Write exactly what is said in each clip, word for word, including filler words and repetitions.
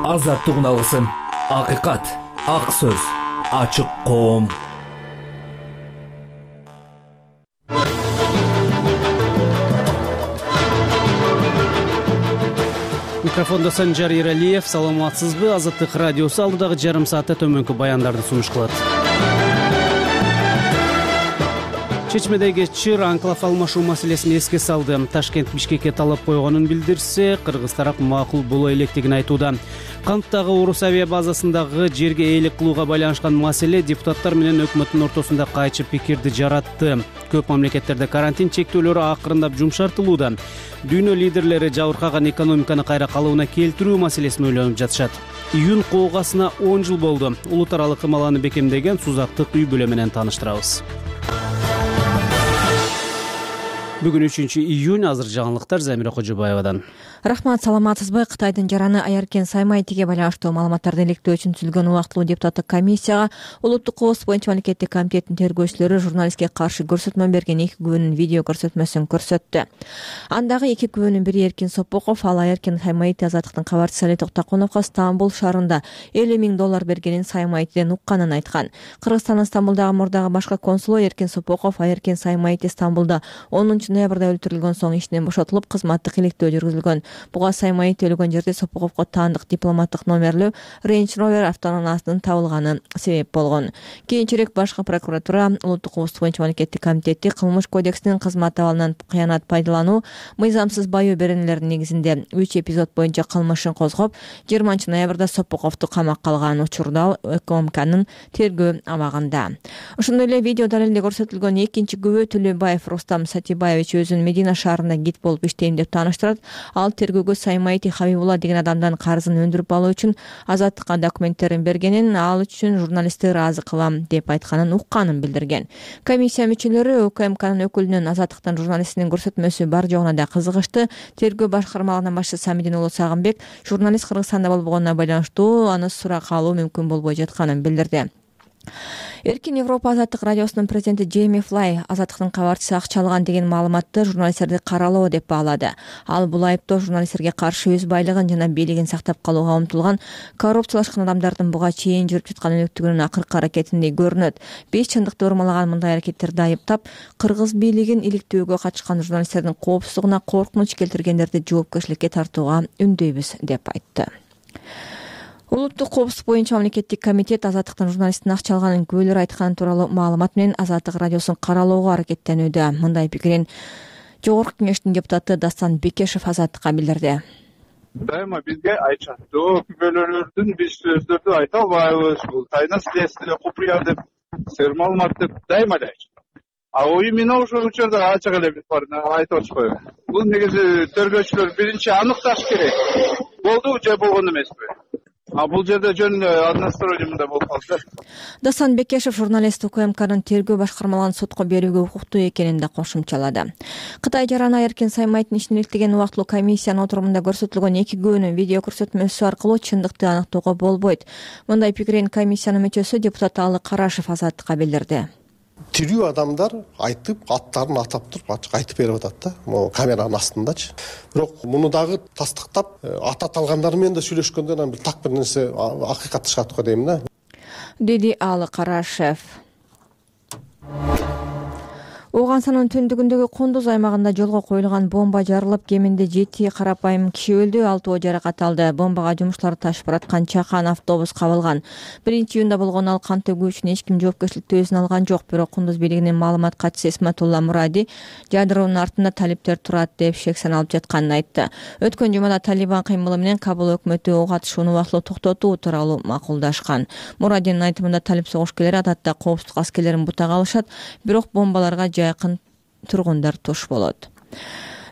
азаттык алгысым, акыйкат, ак сөз, ачык коом. Микрофонда Санжар Иралиев. Саламатсызбы? Азаттык радиосу алдыдагы жарым саатта төмөнкү баяндарды сунуш кылат. Чечмедеги чыр анклав алмашуу маселесин эске салды. Ташкент Бишкекке талап койгонун билдирсе, кыргыз тарап макул боло электигин айтууда. Канттагы Орус авиа базасындагы жерге ээлик кылууга байланышкан маселе депутаттар менен өкмөттүн ортосунда кайчы пикирди жаратты. Көп мамлекеттерде карантин чектөөлөрү акырындап жумшартылууда. Дүйнө лидерлери жабыркаган экономиканы кайра калыбына келтирүү маселесин ойлонуп жатышат. Июнь коогасына он жыл болду. Улут аралык ымаланы бекемдеген Сузактык үй бүлө менен тааныштырабыз. Бүгүн үчүнчү июнь. Азыр жаңылыктар Замира Кожобаевадан. Рахмат, саламатсызбы? Кытайдын жараны Аяркен Саймайтиге байланыштуу маалыматтарды иликтөө үчүн түзүлгөн убактылуу депутаттык комиссияга улуттук кооз боюнча мамлекеттик комитеттин тергөөчүлөрү журналистке каршы көрсөтмө берген эки күбөнүн видео көрсөтмөсүн көрсөттү. Андагы эки күбөнүн бири Эркин Сопоков, ал Аяркен Саймайти азаттыктын кабарчысы Али Токтокуновго Стамбул шаарында элүү миң доллар бергенин Саймайтиден укканын айткан. Кыргызстандын Стамбулдагы мурдагы башкы консулу Эркин Сопоков Аяркен Саймайти Стамбулда онунчу ноябрда өлтүрүлгөн соң ишинен бошотулуп, кызматтык иликтөө жүргүзүлгөн. Буга Саймайти өлгөн жерде Сопоковго таандык дипломаттык номерлүү Range Rover автоунаасынын табылганы себеп болгон. Кийинчерээк башкы прокуратура улуттук коопсуздук боюнча мамлекеттик комитети кылмыш кодексинин кызмат абалынан кыянат пайдалануу, мыйзамсыз баю беренелердин негизинде үч эпизод боюнча кылмышын козгоп, жыйырманчы ноябрда Сопоковду камакка алган. Учурда ЭКОМКнын тергөө абагында. Ошондой эле видео далилде көрсөтүлгөн экинчи күбө Төлөбаев Рустам Сатибаевич өзүн Медина шаарында гид болуп иштейм деп тааныштырат. Ал тергөөгө Саймайти Хабибулла деген адамдан карызын өндүрүп алуу үчүн азаттыкка документтерин бергенин, ал үчүн журналистти ыраазы кылам деп айтканын укканын билдирген. Комиссия мүчөлөрү УКМКнын өкүлүнүн азаттыктын журналистинин көрсөтмөсү бар жогуна да кызыгышты. Тергөө башкармалыгынын башчысы Самидин уулу Сагынбек журналист Кыргызстанда болбогонуна байланыштуу аны сурак алуу мүмкүн болбой жатканын билдирди. Эркин Европа азаттык радиосунун президенти Джейми Флай азаттыктын кабарчысы акча алган деген маалыматты журналисттерди каралоо деп баалады. Ал бул айыптоо журналисттерге каршы өз байлыгын жана бийлигин сактап калууга умтулган коррупциялашкан адамдардын буга чейин жүрүп жаткан өнөктүгүнүн акыркы аракетиндей көрүнөт. Беш чындыкты урмалаган мындай аракеттерди айыптап, кыргыз бийлигин иликтөөгө катышкан журналисттердин коопсуздугуна коркунуч келтиргендерди жоопкерчиликке тартууга үндөйбүз деп айтты. Улуттук коопсуздук боюнча мамлекеттик комитет азаттыктын журналисттин акча алганын күбөлөр айтканы тууралуу маалымат менен азаттык радиосун каралоого аракеттенүүдө. Мындай пикирин Жогорку кеңештин депутаты Дастан Бекешев азаттыкка билдирди. Дайыма бизге айтышат. Күбөлөрдүн биз сөздөрдү айта албайбыз. Бул тайна следствие купуя деп, сер маалымат деп дайыма эле айтышат. А именно ошол учурда ачык эле биз барына айтып атышпайбы. Бул негизи тергөөчүлөр биринчи аныкташ керек. Болду же болгон эмеспи? А бул жерде жөн одностроение мындай болуп калды. Дасан Бекешев журналист УКМКнын тергөө башкармалыгын сотко берүүгө укуктуу экенин да кошумчалады. Кытай жараны Аяркен Саймайтын ишин иликтеген убактылуу комиссиянын отурумунда көрсөтүлгөн эки күбөнүн видео көрсөтмөсү аркылуу чындыкты аныктоого болбойт. Мындай пикирин комиссиянын мүчөсү депутат Алы Карашев азаттыкка билдирди. Тирүү адамдар айтып, аттарын атап туруп, ачык айтып берип атат да, могу камеранын астындачы. Бирок муну дагы тастыктап, ата алгандар менен да сүйлөшкөндө анан бир так бир нерсе акыйкат чыгат го дейм да. Деди Алы Карашев. Ооганстанын түндүгүндөгү Кундуз аймагында жолго коюлган бомба жарылып, кеминде жети карапайым киши өлдү, алтоо жаракат алды. Бомбага жумуштар ташып бараткан чакан автобус кабылган. биринчи июнда болгон ал кан төгүү үчүн эч ким жоопкерчиликти өзүнө алган жок. Бирок Кундуз бийлигинин маалымат катчысы Исматулла Муради жадыроонун артында талиптер турат деп шек саналып жатканын айтты. Өткөн жумада Талибан кыймылы менен Кабул өкмөтү ок атышууну убактылуу токтотуу тууралуу макулдашкан. Мурадинин айтымында талип согушкерлери адатта коопсуздук аскерлерин бутага алышат, бирок бомбаларга жакын тургундар туш болот.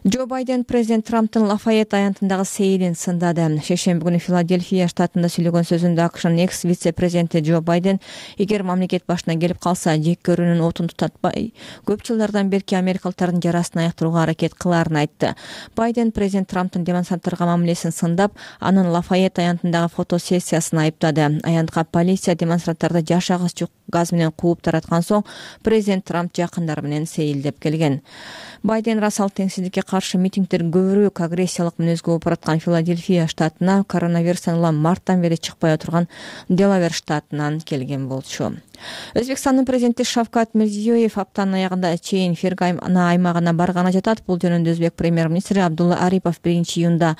Джо Байден президент Трамптын Лафайет аянтындагы сейилин сындады. Шейшемби күнү Филадельфия штатында сүйлөгөн сөзүндө АКШнын экс вице-президенти Джо Байден эгер мамлекет башына келип калса, жек көрүүнүн отун тутатпай, көп жылдардан берки америкалыктардын жарасын аяктырууга аракет кылаарын айтты. Байден президент Трамптын демонстранттарга мамилесин сындап, анын Лафайет аянтындагы фотосессиясын айыптады. Аянтка полиция демонстранттарды жаш агыс газ менен кууп тараткан соң президент Трамп жакындары менен сейилдеп келген. Байден расал теңсиздикке каршы митингдер көбүрөөк агрессиялык мүнөзгө болуп бараткан Филадельфия штатына, коронавирустан улам марттан бери чыкпай отурган Делавер штатынан келген болчу. Өзбекстандын президенти Шавкат Мирзиёев аптанын аягында чейин Фергана аймагына барганы жатат. Бул жөнүндө өзбек премьер-министри Абдулла Арипов биринчи июнда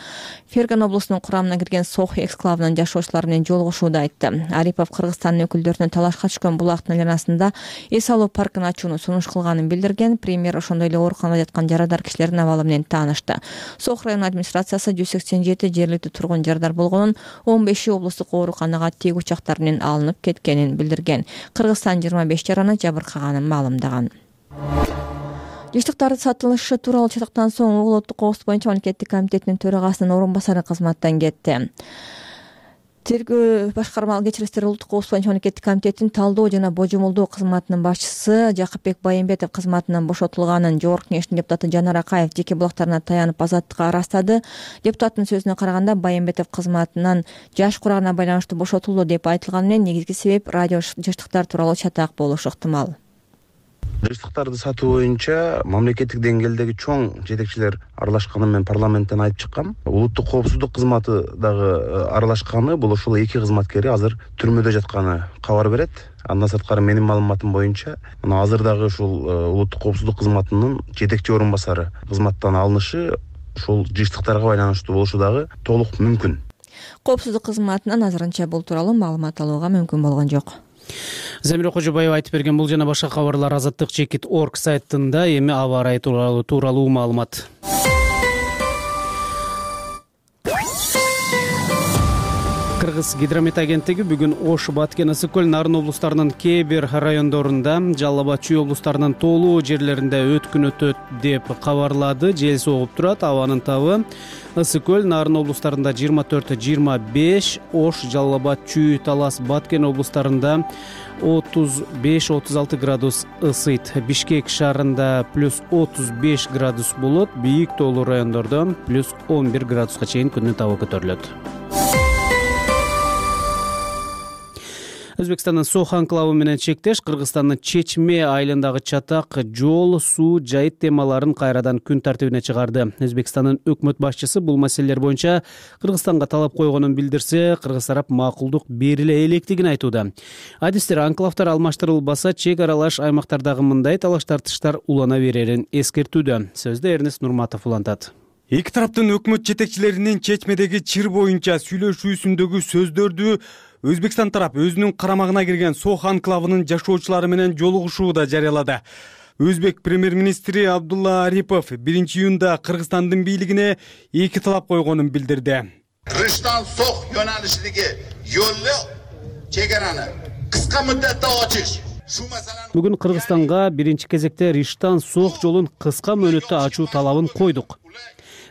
Фергана облусунун курамына кирген Сох эксклавынын жашоочулары менен жолугушууда айтты. Арипов Кыргызстандын өкүлдөрүнө талашка түшкөн булактын айланасында эс алуу паркын ачууну сунуш кылганын билдирген. Премьер ошондой эле ооруканада жаткан жарадар кишилердин абалы менен таанышты. Сох район администрациясы жүз сексен жети жергиликтүү тургун жарадар болгонун, он беши облустук ооруканага тиек учактар менен алынып кеткенин билдирген. Кыргызстан жыйырма беш жараны жабыркаганын маалымдаган. Жыштыктардын сатылышы тууралуу чатактан соң улуттук коопсуздук боюнча мамлекеттик комитетинин төрагасынын орун басары кызматтан кетти. Тергөө башкармалык кечирилиштер улуттук коопсуздук боюнча мамлекеттик комитетинин талдоо жана божомолдоо кызматынын башчысы Жакыпбек Байымбетов кызматынан бошотулганын Жогорку Кеңештин депутаты Жанар Акаев жеке булактарына таянып азаттыкка ырастады. Депутаттын сөзүнө караганда, Байымбетов кызматынан жаш курагына байланыштуу бошотулду деп айтылганы менен негизги себеп радио жыштыктар тууралуу чатак болушу ыктымал. Жыштыктарды сатуу боюнча мамлекеттик деңгээлдеги чоң жетекчилер аралашканын мен парламенттен айтып чыккам. Улуттук коопсуздук кызматы дагы аралашканы, бул ошол эки кызматкери азыр түрмөдө жатканы кабар берет. Андан сырткары менин маалыматым боюнча, мына азыр дагы ушул улуттук коопсуздук кызматынын жетекчи орун басары кызматтан алынышы ушул жыштыктарга байланыштуу болушу дагы толук мүмкүн. Коопсуздук кызматынан азырынча бул тууралуу маалымат алууга мүмкүн болгон жок. Замира Кожобаева айтып берген бул жана башка кабарлар азаттык чекит точка орг сайтында. Эми аба ырайы тууралуу тууралуу маалымат. Кыргыз гидромет агенттиги бүгүн Ош, Баткен, Ысык көл, Нарын облустарынын кээ бир райондорунда, Жалал Абад, Чүй облустарынын тоолуу жерлеринде өткүн өтөт деп кабарлады. Жел согуп турат, абанын табы Ысык көл, Нарын облустарында жыйырма төрт жыйырма беш, Ош, Жалал Абад, Чүй, Талас, Баткен облустарында отуз беш отуз алты градус ысыйт. Бишкек шаарында плюс отуз беш градус болот, бийик тоолуу райондордо плюс он бир градуска чейин күндүн табы көтөрүлөт. Өзбекстандын Сох анклавы менен чектеш Кыргызстандын Чечме айылындагы чатак жол, суу, жайыт темаларын кайрадан күн тартибине чыгарды. Өзбекстандын өкмөт башчысы бул маселелер боюнча Кыргызстанга талап койгонун билдирсе, кыргыз тарап макулдук бериле электигин айтууда. Адистер анклавтар алмаштырылбаса, чек аралаш аймактардагы мындай талаш тартыштар улана берерин эскертүүдө. Сөздү Эрнест Нурматов улантат. Эки тараптын өкмөт жетекчилеринин Чечмедеги чыр боюнча сүйлөшүүсүндөгү сөздөрдү Өзбекстан тарап өзүнүн карамагына кирген Сох анклавынын жашоочулары менен жолугушууда жарыялады. Өзбек премьер-министри Абдулла Арипов биринчи июнда Кыргызстандын бийлигине эки талап койгонун билдирди. Рыштан Сох yo'nalishidagi yo'lni chegarani qisqa muddatda ochish. Бүгүн Кыргызстанга биринчи кезекте Риштан Сох жолун кыска мөөнөттө ачуу талабын койдук.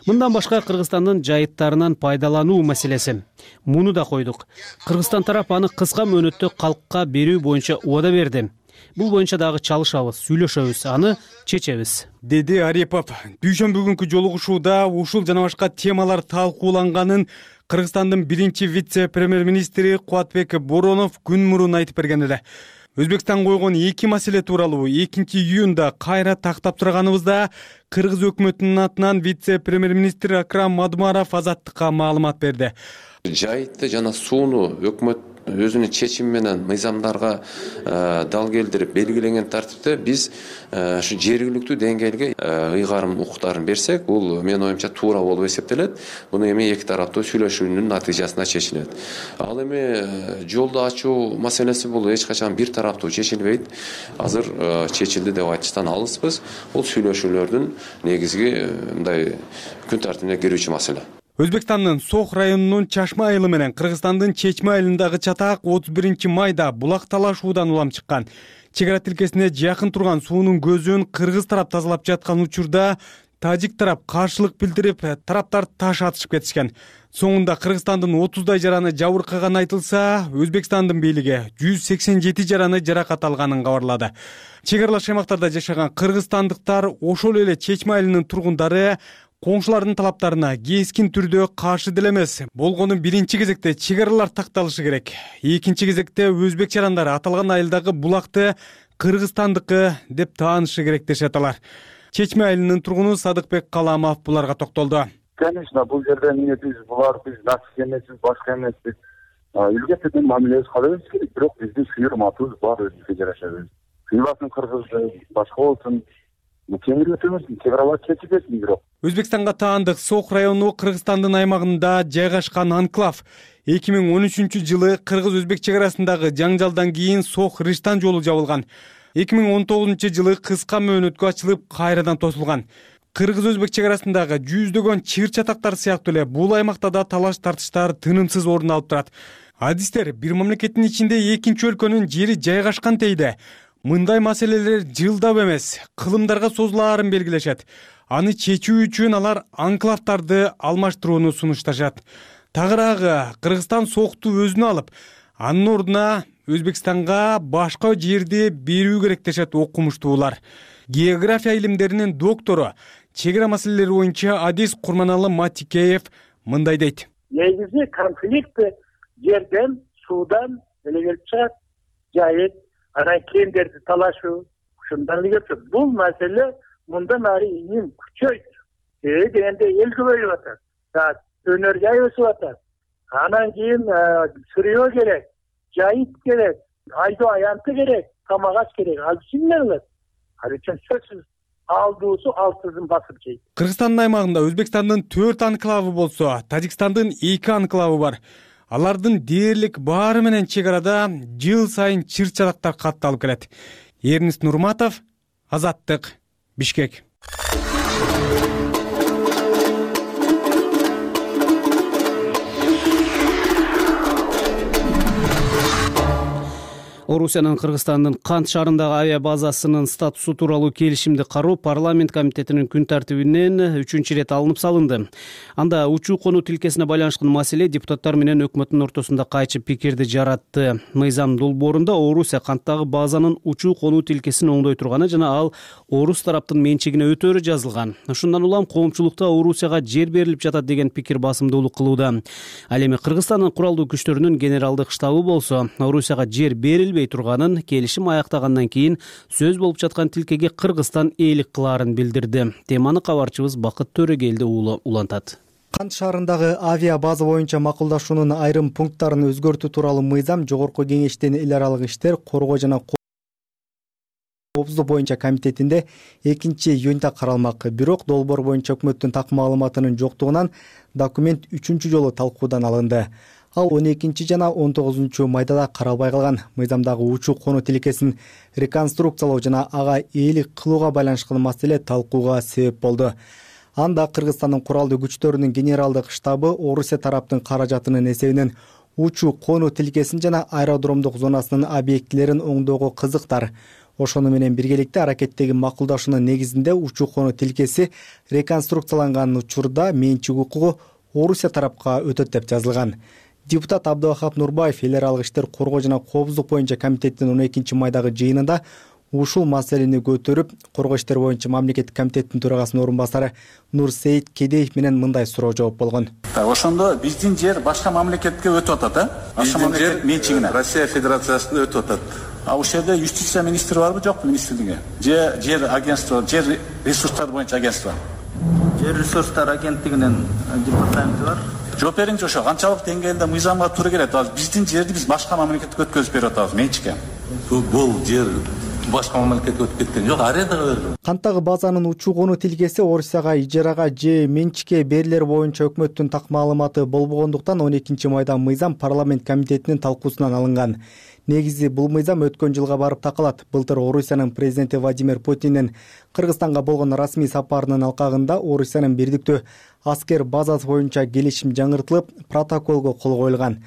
Мындан башка Кыргызстандын жайыттарынан пайдалануу маселеси. Муну да койдук. Кыргызстан тарап аны кыска мөөнөттө калкка берүү боюнча убада берди. Бул боюнча дагы чалышабыз, сүйлөшөбүз, аны чечебиз, деди Арипов. Дүйшөмбү күнкү жолугушууда ушул жана башка темалар талкууланганын Кыргызстандын биринчи вице-премьер-министри Кубатбек Боронов күн мурун айтып берген эле. Өзбекстан койгон эки маселе тууралуу экинчи июнда кайра тактап турганыбызда Кыргыз өкмөтүнүн атынан вице-премьер-министр Акрам Мадумаров азаттыкка маалымат берди. Жайытты жана сууну өкмөт өзүнүн чечими менен мыйзамдарга дал келтирип белгиленген тартипте биз ушу жергиликтүү деңгээлге ыйгарым укуктарын берсек, бул менин оюмча туура болуп эсептелет. Буну эми эки тараптуу сүйлөшүүнүн натыйжасында чечилет. Ал эми жолду ачуу маселеси бул эч качан бир тараптуу чечилбейт. Азыр чечилди деп айтыштан алыспыз. Бул сүйлөшүүлөрдүн негизги мындай күн тартибине кирүүчү маселе. Өзбекстандын Сох районунун Чашма айылы менен Кыргызстандын Чечме айылындагы чатак отуз биринчи майда булак талашуудан улам чыккан. Чек ара тилкесине жакын турган суунун көзүн кыргыз тарап тазалап жаткан учурда тажик тарап каршылык билдирип, тараптар таш атышып кетишкен. Соңунда Кыргызстандын отуздай жараны жабыркаганы айтылса, Өзбекстандын бийлиги жүз сексен жети жараны жаракат алганын кабарлады. Чек аралаш аймактарда жашаган кыргызстандыктар ошол эле Чечме айылынын тургундары коңшулардын талаптарына кескин түрдө каршы деле эмес. Болгону биринчи кезекте чек аралар такталышы керек. Экинчи кезекте өзбек жарандары аталган айылдагы булакты кыргызстандыкы деп таанышы керек дешет алар. Чечме айылынын тургуну Садыкбек Каламов буларга токтолду. Конечно, бул жерде эмне биз булар биз нацик эмеспиз, башка эмеспиз. Элге тең мамилебиз кылабыз керек, бирок биздин сүйөр матыбыз бар, өзүбүзгө жараша. Кыйбатын кыргыз башка болсун, темир өтөбүз, чегаралар чечип берсин бирок. Өзбекстанга таандык Сох району Кыргызстандын аймагында жайгашкан анклав. эки миң он үчүнчү жылы кыргыз-өзбек чек арасындагы жаңжалдан кийин Сох Рыштан жолу жабылган. эки миң он тогузунчу жылы кыска мөөнөткө ачылып, кайрадан тосулган. Кыргыз-өзбек чек арасындагы жүздөгөн чыр чатактар сыяктуу эле бул аймакта да талаш тартыштар тынымсыз орун алып турат. Адистер бир мамлекеттин ичинде экинчи өлкөнүн жери жайгашкан дейди. Мындай маселелер жылдап эмес, кылымдарга созулаарын белгилешет. Аны чечүү үчүн алар анклавдарды алмаштырууну сунушташат. Тагыраагы Кыргызстан Сохту өзүнө алып, анын ордуна Өзбекстанга башка жерди берүү керек дешет окумуштуулар. География илимдеринин доктору, чек ара маселелери боюнча Адис Курманалы Матикеев мындай дейт. Негизи конфликт жерден, суудан эле келип чыгат. Жайыт, анан кендерди талашуу, ушундан эле келип. Бул маселе мындан ары ийин күчөйт. Себеби дегенде эл көбөйүп атат. Өнөр жай өсүп атат. Анан кийин сырыё керек, жайыт керек, айдоо аянты керек, тамак аш керек. Ал кимдер алат? Ал үчүн сөзсүз алдуусу алтызын басып жейт. Кыргызстандын аймагында Өзбекстандын төрт анклавы болсо, Тажикстандын эки анклавы бар. Алардын дээрлик баары менен чек арада жыл сайын чыр чатактар катталып келет. Эрнис Нурматов, Азаттык, Бишкек. Орусиянын Кыргызстандын Кант шаарындагы авиа базасынын статусу тууралуу келишимди кароо парламент комитетинин күн тартибинен үчүнчү ирет алынып салынды. Анда учуу конуу тилкесине байланышкан маселе депутаттар менен өкмөттүн ортосунда кайчы пикирди жаратты. Мыйзам долбоорунда Орусия Канттагы базанын учуу конуу тилкесин оңдой турганы жана ал орус тараптын менчигине өтөөрү жазылган. Ошондон улам коомчулукта Орусияга жер берилип жатат деген пикир басымдуулук кылууда. Ал эми Кыргызстандын куралдуу күчтөрүнүн генералдык штабы болсо, Орусияга жер берилбей турганын, келишим аяктагандан кийин сөз болуп жаткан тилкеге Кыргызстан ээлик кылаарын билдирди. Теманы кабарчыбыз Бакыт Төрөгелди уулу улантат. Кант шаарындагы авиа база боюнча макулдашуунун айрым пункттарын өзгөртүү тууралуу мыйзам Жогорку кеңештин эл аралык иштер, коргоо жана коопсуздук боюнча комитетинде экинчи июнда каралмак. Бирок долбоор боюнча өкмөттүн так маалыматынын жоктугунан документ үчүнчү жолу талкуудан алынды. Ал он экинчи жана он тогузунчу майда да каралбай калган. Мыйзамдагы учуу конуу тилкесин реконструкциялоо жана ага ээлик кылууга байланышкан маселе талкууга себеп болду. Анда Кыргызстандын куралдуу күчтөрүнүн генералдык штабы Орусия тараптын каражатынын эсебинен учуу конуу тилкесин жана аэродромдук зонасынын объектилерин оңдоого кызыктар. Ошону менен биргеликте аракеттеги макулдашуунун негизинде учуу конуу тилкеси реконструкцияланган учурда менчик укугу Орусия тарапка өтөт деп жазылган. Депутат Абдывахап Нурбаев эл аралык иштер, коргоо жана коопсуздук боюнча комитеттин он экинчи майдагы жыйынында ушул маселени көтөрүп, коргоо иштер боюнча мамлекеттик комитеттин төрагасынын орун басары Нурсейит Кедеев менен мындай суроо жооп болгон. Ошондо биздин жер башка мамлекетке өтүп атат, а? Биздин жер менчигине Россия Федерациясына өтүп атат. А ошол жерде юстиция министри барбы, жокпу министрлиги? Же жер агентство, жер ресурстары боюнча агентство? Жер ресурстары агенттигинин департаменти бар. Жооп бериңчи, ошо канчалык деңгээлде мыйзамга туура келет? Биздин жерди биз башка мамлекетке өткөзүп берип атабыз менчикке. Бул жер башка мамлекетке өтүп кеткен жок, арендага берилген. Канттагы базанын учуу конуу тилкеси Орусияга ижарага же менчикке берилер боюнча өкмөттүн так маалыматы болбогондуктан он экинчи майда мыйзам парламент комитетинин талкуусунан алынган. Негизи бул мыйзам өткөн жылга барып такалат. Былтыр Орусиянын президенти Владимир Путиндин Кыргызстанга болгон расмий сапарынын алкагында Орусиянын бирдиктүү аскер базасы боюнча келишим жаңыртылып, протоколго кол коюлган.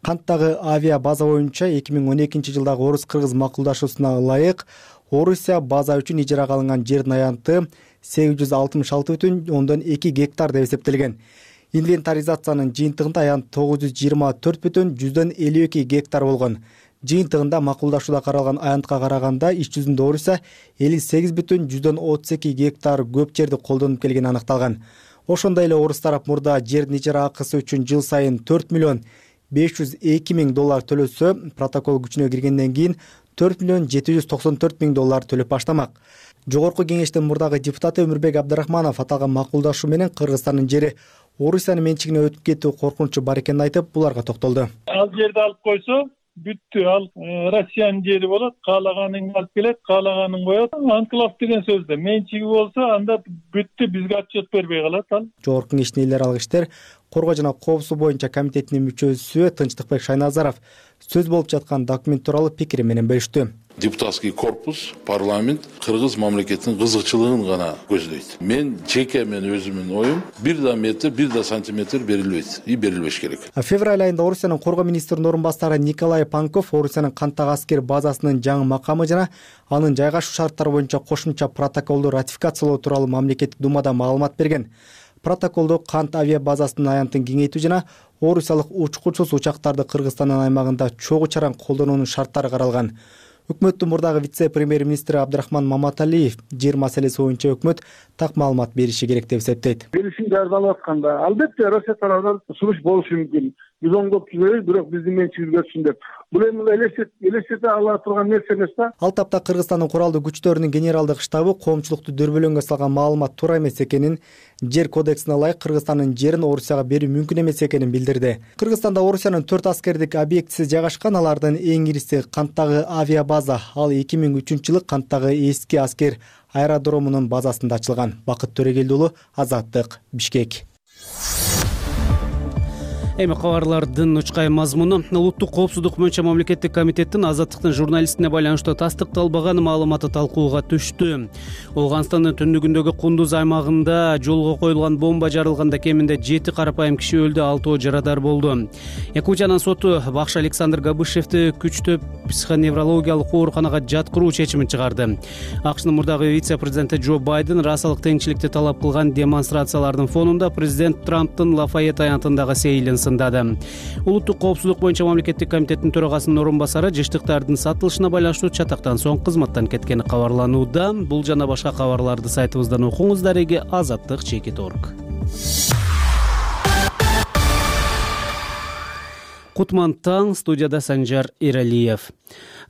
Канттагы авиа база боюнча эки миң он экинчи жылдагы орус-кыргыз макулдашуусуна ылайык Орусия база үчүн ижарага алынган жердин аянты сегиз жүз алтымыш алты бүтүн ондон эки гектар деп эсептелген. Инвентаризациянын жыйынтыгында аянт тогуз жүз жыйырма төрт бүтүн жүздөн элүү эки гектар болгон. Жыйынтыгында макулдашууда каралган аянтка караганда иш жүзүндө Орусия элүү сегиз бүтүн жүздөн отуз эки гектар көп жерди колдонуп келгени аныкталган. Ошондой эле орус тарап мурда жердин ижара акысы үчүн жыл сайын төрт миллион беш жүз эки миң доллар төлөсө, протокол күчүнө киргенден кийин төрт миллион жети жүз токсон төрт миң доллар төлөп баштамак. Жогорку кеңештин мурдагы депутаты Өмүрбек Абдрахманов аталган макулдашуу менен Кыргызстандын жери Орусиянын менчигине өтүп кетүү коркунучу бар экенин айтып, буларга токтолду. Ал жерди алып койсо, бүттү. Ал Россиянын жери болот, каалаганын алып келет, каалаганын коет. Анклав деген сөздө менчиги болсо, анда бүттү, бизге отчет бербей калат ал. Жогорку кеңештин эл аралык иштер коргоо жана коопсуздук боюнча комитетинин мүчөсү Тынчтыкбек Шайназаров сөз болуп жаткан документ тууралуу пикири менен бөлүштү. Депутатский корпус, парламент Кыргыз мамлекетинин кызыкчылыгын гана көздөйт. Мен жеке мен өзүмдүн оюм бир да метр, бир да сантиметр берилбейт, и берилбеш керек. Февраль айында Орусиянын коргоо министринин орун басары Николай Панков Орусиянын Канттагы аскер базасынын жаңы макамы жана анын жайгашуу шарттары боюнча кошумча протоколду ратификациялоо тууралуу мамлекеттик думада маалымат берген. Протоколдо Кант авиа базасынын аянтын кеңейтүү жана орусиялык учкучсуз учактарды Кыргызстандын аймагында чогуу чаран колдонуунун шарттары каралган. Өкмөттүн мурдагы вице-премьер-министри Абдрахман Маматалиев жер маселеси боюнча өкмөт так маалымат бериши керек деп эсептейт. Келишим даярдалып атканда албетте Россия тарабынан сунуш болушу мүмкүн. Биз оңдоп түзөйбүз, бирок биздин менчигибизге өтсүн деп. Бул эми элестете ала турган нерсе эмес да. Ал тапта Кыргызстандын куралдуу күчтөрүнүн генералдык штабы коомчулукту дөрбөлөңгө салган маалымат туура эмес экенин, жер кодексине ылайык Кыргызстандын жерин Орусияга берүү мүмкүн эмес экенин билдирди. Кыргызстанда Орусиянын төрт аскердик объектиси жайгашкан, алардын эң ириси Канттагы авиа база. Ал эки миң үчүнчү жылы Канттагы эски аскер аэродромунун базасында ачылган. Бакыт Төрегелди уулу, Азаттык, Бишкек. Эми кабарлардын учкай мазмуну. Улуттук коопсуздук боюнча мамлекеттик комитеттин Азаттыктын журналистине байланыштуу тастыкталбаган маалыматы талкууга түштү. Ооганстандын түндүгүндөгү Кундуз аймагында жолго коюлган бомба жарылганда кеминде жети карапайым киши өлдү, алтоо жарадар болду. Якутиянын соту бакшы Александр Габышевди күчтүү психоневрологиялык ооруканага жаткыруу чечимин чыгарды. АКШнын мурдагы вице-президенти Джо Байден расалык теңчиликти талап кылган демонстрациялардын фонунда президент Трамптын Лафайет аянтындагы сейилин сындады. Улуттук коопсуздук боюнча мамлекеттик комитеттин төрагасынын орун басары жыштыктардын сатылышына байланыштуу чатактан соң кызматтан кеткени кабарланууда. Бул жана башка кабарларды сайтыбыздан окуңуз. Дареги Азаттык чекит орг. Кутман таң, студияда Санжар Иралиев.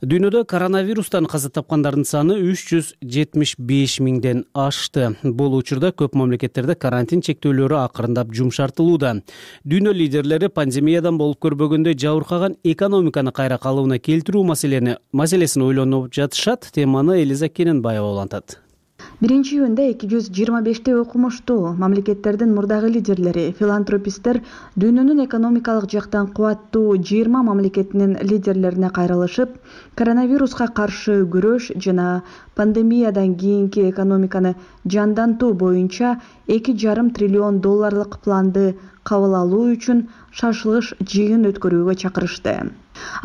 Дүйнөдө коронавирустан каза тапкандардын саны үч жүз жетимиш беш миңден ашты. Бул учурда көп мамлекеттерде карантин чектөөлөрү акырындап жумшартылууда. Дүйнө лидерлери пандемиядан болуп көрбөгөндөй жабыркаган экономиканы кайра калыбына келтирүү маселени маселесин ойлонуп жатышат. Теманы Элиза Кененбаева улантат. Биринчи июнда эки жүз жыйырма бештей окумуштуу мамлекеттердин мурдагы лидерлери, филантрописттер дүйнөнүн экономикалык жактан кубаттуу жыйырма мамлекетинин лидерлерине кайрылышып, коронавируска каршы күрөш жана пандемиядан кийинки экономиканы жандантуу боюнча эки жарым триллион долларлык планды кабыл алуу үчүн шашылыш жыйын өткөрүүгө чакырышты.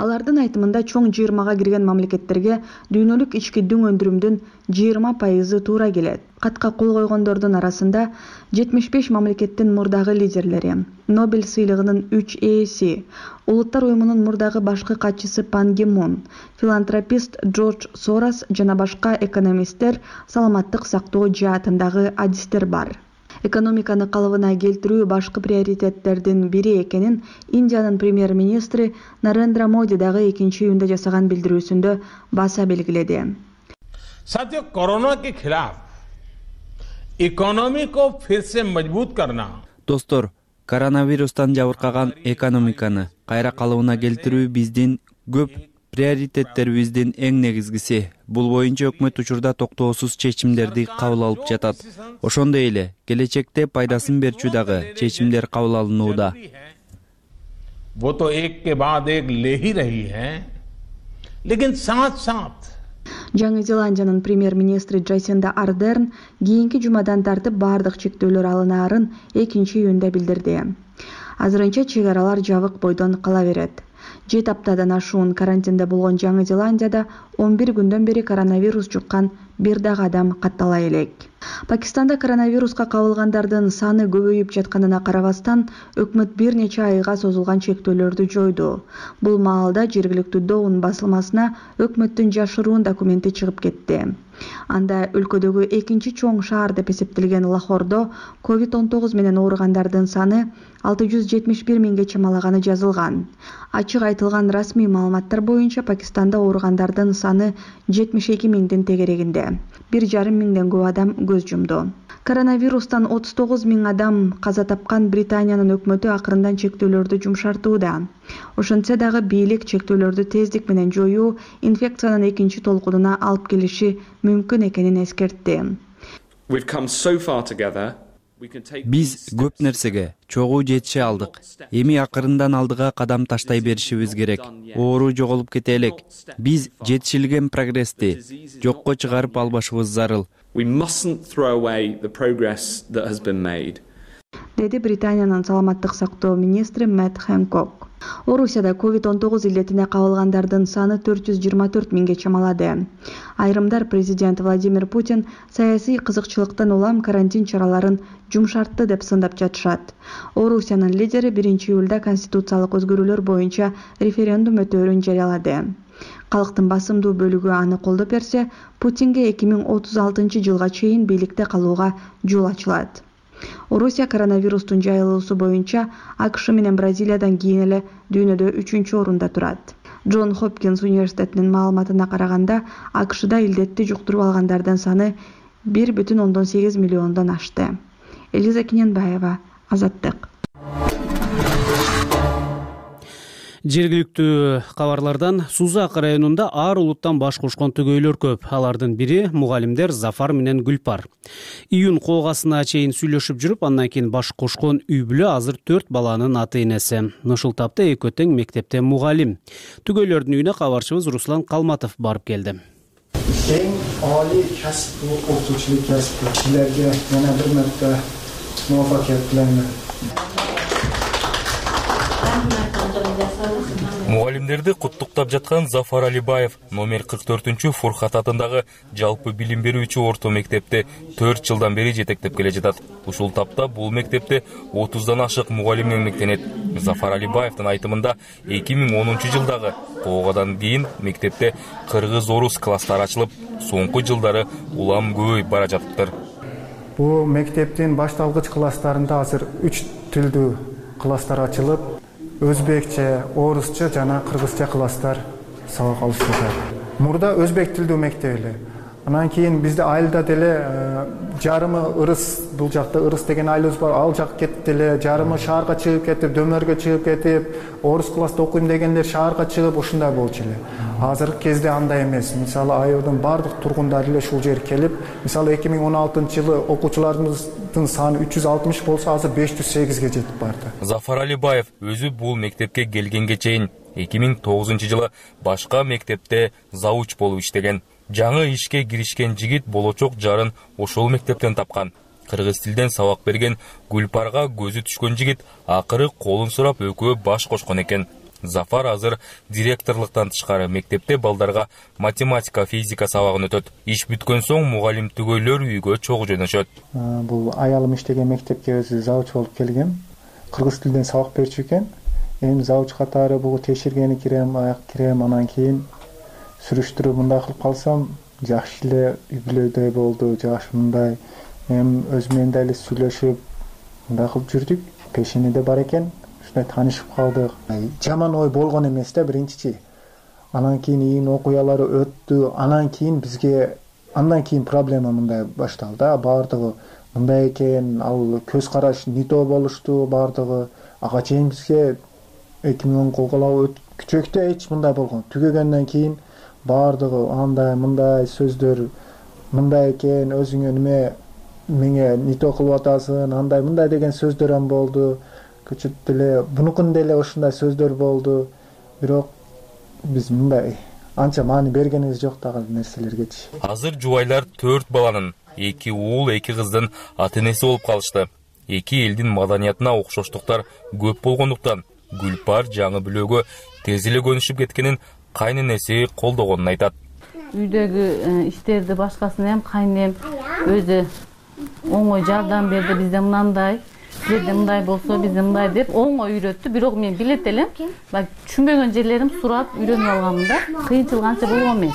Алардын айтымында чоң жыйырмага кирген мамлекеттерге дүйнөлүк ички дүң өндүрүмдүн жыйырма пайызы туура келет. Катка кол койгондордун арасында жетимиш беш мамлекеттин мурдагы лидерлери, Нобель сыйлыгынын үч ээси, Улуттар уюмунун мурдагы башкы катчысы Пан Ги Мун, филантропист Джордж Сорос жана башка экономисттер, саламаттык сактоо жаатындагы адистер бар. Экономиканы калыбына келтирүү башкы приоритеттердин бири экенин Индиянын премьер-министри Нарендра Моди дагы экинчи июнда жасаган билдирүүсүндө баса белгиледи. साथियों, कोरोना के खिलाफ इकोनॉमी को फिर से मजबूत करना. Достор, коронавирустан жабыркаган экономиканы кайра калыбына келтирүү биздин көп приоритеттерибиздин эң негизгиси. Бул боюнча өкмөт учурда токтоосуз чечимдерди кабыл алып жатат. Ошондой эле келечекте пайдасын берчү дагы чечимдер кабыл алынууда. वो तो एक के बाद एक ले ही रही है, लेकिन साथ-साथ Жаңы Зеландиянын премьер-министри Джасинда Ардерн кийинки жумадан тартып баардык чектөөлөр алынаарын экинчи июнда билдирди. Азырынча чек аралар жабык бойдон кала берет. Жети аптадан ашуун карантинде болгон Жаңы Зеландияда он бир күндөн бери коронавирус жуккан бир дагы адам каттала элек. Пакистанда коронавируска кабылгандардын саны көбөйүп жатканына карабастан, өкмөт бир нече айга созулган чектөөлөрдү жойду. Бул маалда жергиликтүү Доун басылмасына өкмөттүн жашыруун документи чыгып кетти. Анда өлкөдөгү экинчи чоң шаар деп эсептелген Лахордо ковид он тогуз менен ооругандардын саны алты жүз жетимиш бир миңге чамалаганы жазылган. Ачык айтылган расмий маалыматтар боюнча Пакистанда ооругандардын саны жетимиш эки миңдин тегерегинде. бир жарым миңден көп адам көз жумду. Коронавирустан отуз тогуз миң адам каза тапкан Британиянын өкмөтү акырындан чектөөлөрдү жумшартууда. Ошентсе дагы бийлик чектөөлөрдү тездик менен жоюу инфекциянын экинчи толкунуна алып келиши мүмкүн экенин эскертти. Биз көп нерсеге чогуу жетише алдык. Эми акырындан алдыга кадам таштай беришибиз керек. Оору жоголуп кете элек. Биз жетишилген прогрессти жокко чыгарып албашыбыз зарыл. Деди Британиянын саламаттык сактоо министри Мэтт Хэнкок. Орусияда ковид он тогуз илетине кабылгандардын саны төрт жүз жыйырма төрт миңге чамалады. Айрымдар президент Владимир Путин саясий кызыкчылыктан улам карантин чараларын жумшартты деп сындап жатышат. Орусиянын лидери биринчи июлда конституциялык өзгөрүүлөр боюнча референдум өтөөрүн жарыялады. Калктын басымдуу бөлүгү аны колдоп берсе, Путинге эки миң отуз алтынчы жылга чейин бийликте калууга жол ачылат. Орусия коронавирустун жайылуусу боюнча АКШ менен Бразилиядан кийин эле дүйнөдө үчүнчү орунда турат. Джон Хопкинс университетинин маалыматына караганда, АКШда илдетти жуктуруп алгандардын саны бир бүтүн ондон сегиз миллиондон ашты. Элиза Кененбаева, Азаттык. Жергиликтүү кабарлардан Сузак районунда ар улуттан баш кошкон түгөйлөр көп. Алардын бири мугалимдер Зафар менен Гүлпар. Июнь колгасына чейин сүйлөшүп жүрүп, андан кийин баш кошкон үй бүлө азыр төрт баланын ата-энеси. Ушул тапта экөө тең мектепте мугалим. Түгөйлөрдүн үйүнө кабарчыбыз Руслан Калматов барып келди. Эң али касып окутуучулук касыптагыларга жана бир марта муваффакият тилеймин. Мугалимдерди куттуктап жаткан Зафар Алибаев номер кырк төртүнчү Фуркат атындагы жалпы билим берүүчү орто мектепти төрт жылдан бери жетектеп келе жатат. Ушул тапта бул мектепте отуздан ашык мугалим эмгектенет. Зафар Алибаевдин айтымында эки миң онунчу жылдагы коогадан кийин мектепте кыргыз-орус класстары ачылып, соңку жылдары улам көбөйүп бара жатыптыр. Бул мектептин башталгыч класстарында азыр үч тилдүү класстар ачылып, өзбекче, орусча жана кыргызча класстар сабак алышып жатат. Мурда өзбек тилдүү мектеп эле. Анан кийин бизде айылда деле жарымы ырыс, бул жакта ырыс деген айылыбыз бар, ал жак кетти эле, жарымы шаарга чыгып кетип, дөмөргө чыгып кетип, орус класста окуйм дегендер шаарга чыгып ушундай болчу эле. Азыркы кезде андай эмес. Мисалы айылдын бардык тургундары эле ушул жерге келип, мисалы эки миң он алтынчы жылы окуучуларыбыздын саны үч жүз алтымыш болсо, азыр беш жүз сегизге жетип барды. Зафар Алибаев өзү бул мектепке келгенге чейин эки миң тогузунчу жылы башка мектепте зауч болуп иштеген. Жаңы ишке киришкен жигит болочок жарын ошол мектептен тапкан. Кыргыз тилден сабак берген Гүлпарга көзү түшкөн жигит акыры колун сурап экөө баш кошкон экен. Зафар азыр директорлуктан тышкары мектепте балдарга математика, физика сабагын өтөт. Иш бүткөн соң мугалим түгөйлөр үйгө чогуу жөнөшөт. Бул аялым иштеген мектепке өзү зауч болуп келгем. Кыргыз тилден сабак берчү экен. Эми зауч катары бул текшергени кирем, аяк кирем, анан кийин сүрүштүрүп мындай кылып калсам, жакшы эле үй бүлөдөй болду, жакшы мындай. Эми өзү менен да эле сүйлөшүп, мындай кылып жүрдүк. Пешенеде бар экен. Ушундай таанышып калдык. Жаман ой болгон эмес да биринчичи. Анан кийин июнь окуялары өттү. Анан кийин бизге андан кийин проблема мындай башталды. Бардыгы мындай экен, ал көз караш не то болушту бардыгы. Ага чейин бизге эки миң он колголоо күчөктө эч мындай болгон. Түгөгөндөн кийин бардыгы андай мындай сөздөр мындай экен, өзүңө неме меңе не то кылып атасың, андай мындай деген сөздөр ам болду. Көчүп деле бунукун деле ушундай сөздөр болду. Бирок биз мындай анча маани бергенибиз жок дагы нерселергечи. Азыр жубайлар төрт баланын, эки уул, эки кыздын ата-энеси болуп калышты. Эки элдин маданиятына окшоштуктар көп болгондуктан Гүлпар жаңы бүлөгө тез эле көнүшүп кеткенин кайненеси колдогонун айтат. Үйдөгү иштерди башкасына эм кайнем өзү оңой жардам берди. Бизде мынандай силерде мындай болсо бизде мындай деп оңой үйрөттү. Бирок мен билет элем, баягы түшүнбөгөн жерлерим сурап үйрөнүп алганмын да. Кыйынчылык анча болгон эмес.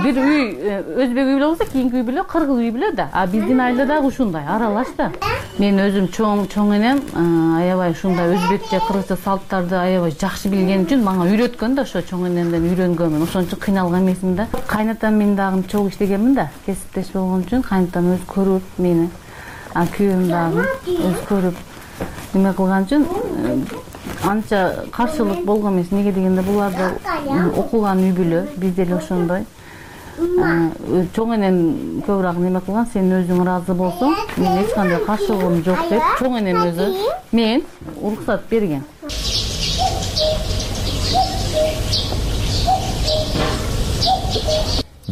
Бир үй өзбек үй болсо, кийинки үй биле, кыргыз үй биле да. А биздин айылда дагы ушундай аралаш да. Мен өзүм чоң чоң энем аябай ушундай өзбекче, кыргызча салттарды аябай жакшы билген үчүн мага үйрөткөн да, ошо чоң энемден үйрөнгөнмүн. Ошон үчүн кыйналган эмесмин да. Кайнатам мен дагы чогуу иштегенмин да. Кесиптеш болгон үчүн кайнатам өзү көрүп мени, а күйөөм дагы өзү көрүп неме кылган үчүн анча каршылык болгон эмес. Неге дегенде булар да окуган үй бүлө, бизде эле ошондой. Чоң энем көбүрөөк неме кылган, сен өзүң ыраазы болсоң, мен эч кандай каршылыгым жок деп, чоң энем өзү мен уруксат берген.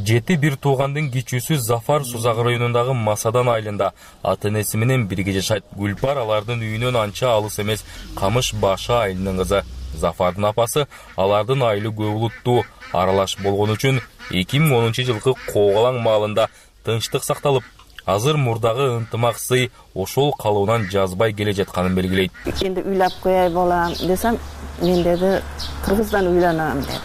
Жети бир туугандын кичүүсү Зафар Сузак районундагы Масадан айылында ата-энеси менен бирге жашайт. Гүлпар алардын үйүнөн анча алыс эмес Камыш Башы айылынын кызы. Зафардын апасы алардын айылы көп улуттуу аралаш болгон үчүн эки миң онунчу жылкы Коогалаң маалында тынчтык сакталып, азыр мурдагы ынтымак сый ошол калыбынан жазбай келе жатканын белгилейт. Энди үйлөп коёй болам десем, мен деди кыргыздан үйлөнөм деди.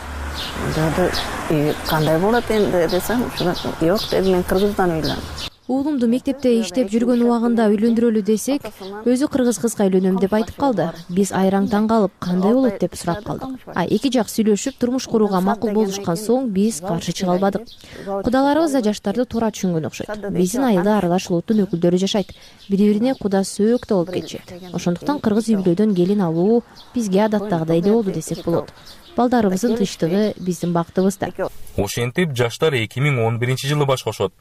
Деди, кандай болот энди десем, жок деди, мен кыргыздан үйлөнөм. Уулумду мектепте иштеп жүргөн убагында үйлөндүрөлү десек, өзү кыргыз кызга үйлөнөм деп айтып калды. Биз айраң таң калып, кандай болот деп сурап калдык. А эки жак сүйлөшүп, турмуш курууга макул болушкан соң биз каршы чыга албадык. Кудаларыбыз да жаштарды туура түшүнгөн окшойт. Биздин айылда аралаш улуттун өкүлдөрү жашайт. Бири-бирине куда сөөк да болуп кетишет. Ошондуктан кыргыз үй бүлөдөн келин алуу бизге адаттагыдай эле болду десек болот. Балдарыбыздын тынчтыгы биздин бактыбыз да. Ошентип жаштар эки миң он биринчи жылы баш кошот.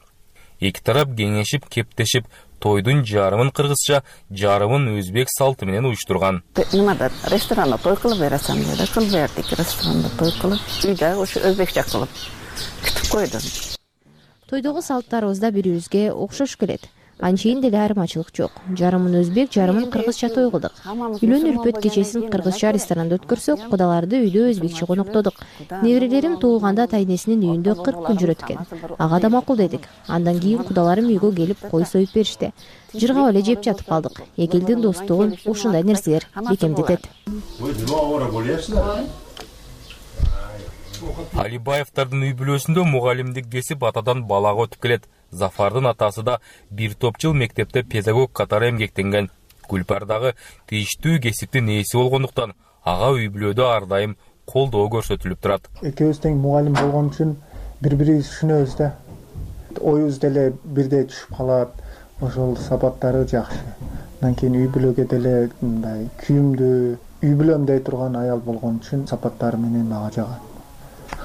Эки тарап кеңешип, кептешип, тойдун жарымын кыргызча, жарымын өзбек салты менен уюштурган. Немада ресторанда той кылып бересем деди, кылып бердик, ресторанда той кылып, үйдө ушу өзбекче кылып күтүп койду. Тойдогу салттарыбыз да бири-бирибизге окшош келет. Анчейин деле айырмачылык жок. Жарымын өзбек, жарымын кыргызча той кылдык. Үйлөн үрпөт кечесин кыргызча ресторанда өткөрсөк, кудаларды үйдө өзбекче коноктодук. Неберелерим туулганда тайнесинин үйүндө кырк күн жүрөт экен. Ага да макул дедик. Андан кийин кудаларым үйгө келип кой союп беришти. Жыргап эле жеп жатып калдык. Эки элдин достугун ушундай нерселер бекемдетет. Алибаевдардын үй бүлөсүндө мугалимдик кесип атадан балага өтүп келет. Зафардын атасы да бир топ жыл мектепте педагог катары эмгектенген. Гүлпар дагы тийиштүү кесиптин ээси болгондуктан ага үй бүлөдө ар дайым колдоо көрсөтүлүп турат. Экөөбүз тең мугалим болгон үчүн бири-бирибизди түшүнөбүз да. Оюбуз деле бирдей түшүп калат. Ошол сапаттары жакшы. Андан кийин үй бүлөгө деле мындай күйүмдүү, үй бүлөм дей турган аял болгон үчүн сапаттары менен мага жагат.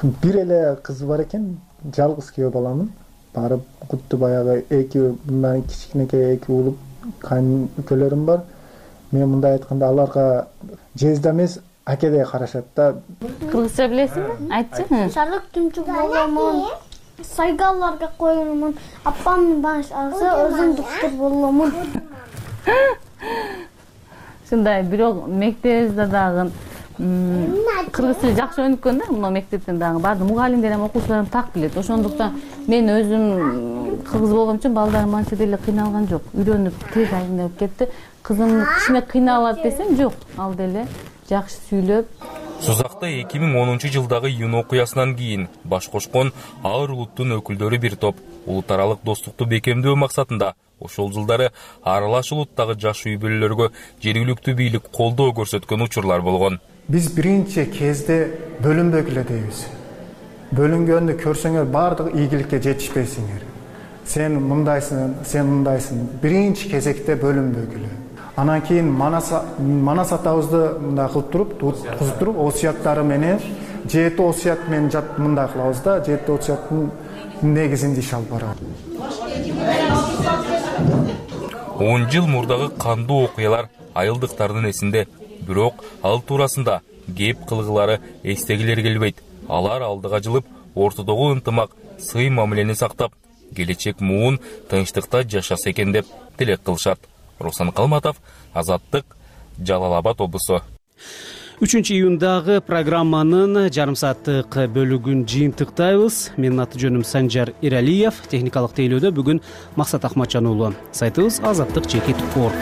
Бир эле кызы бар экен, жалгыз күйөө баламын. Барып кутты баягы эки мындан кичинекей эки уулуп кайнөкөлөрүм бар. Мен мындай айтканда аларга жезде эмес, акедей карашат да. Кыргызча билесиңби? Айтчы. Шарлык түмчүк боломун. Сайгалларга коюмун. Апам баш алса, өзүм доктор боломун. Ушундай, бирок мектебибизде дагы кыргыз тили жакшы өнүккөн да, мына мектептен дагы баардык мугалимдер эми окуучуларым так билет. Ошондуктан мен өзүм кыргыз болгон үчүн балдарым анча деле кыйналган жок. Үйрөнүп тез айнып кетти. Кызым кичине кыйналат десем жок, ал деле жакшы сүйлөп. Сузакта эки миң онунчу жылдагы июнь окуясынан кийин баш кошкон ар улуттун өкүлдөрү бир топ улут аралык достукту бекемдөө максатында ошол жылдары аралаш улуттагы жаш үй бүлөлөргө жергиликтүү бийлик колдоо көрсөткөн учурлар болгон. Биз биринчи кезде бөлүнбөгүлө дейбиз. Бөлүнгөндү көрсөңөр баардык ийгиликке жетишпейсиңер. Сен мындайсың, сен мындайсың. Биринчи кезекте бөлүнбөгүлө. Анан кийин Манас Манас атабызды мындай кылып туруп, туткузуп туруп, осуяттары менен жети осуят менен жат мындай кылабыз да, жети осуяттын негизинде иш алып барабыз. он жыл мурдагы кандуу окуялар айылдыктардын эсинде. Бирок ал туурасында кеп кылгылары эстегилер келбейт. Алар алдыга жылып, ортодогу ынтымак, сый мамилени сактап, келечек муун тынчтыкта жашаса экен деп тилек кылышат. Руслан Калматов, Азаттык, Жалал Абад облусу. үчүнчү июндагы программанын жарым сааттык бөлүгүн жыйынтыктайбыз. Менин аты жөнүм Санжар Иралиев. Техникалык тейлөөдө бүгүн Максат Акматжан уулу. Сайтыбыз азаттык чекит точка орг.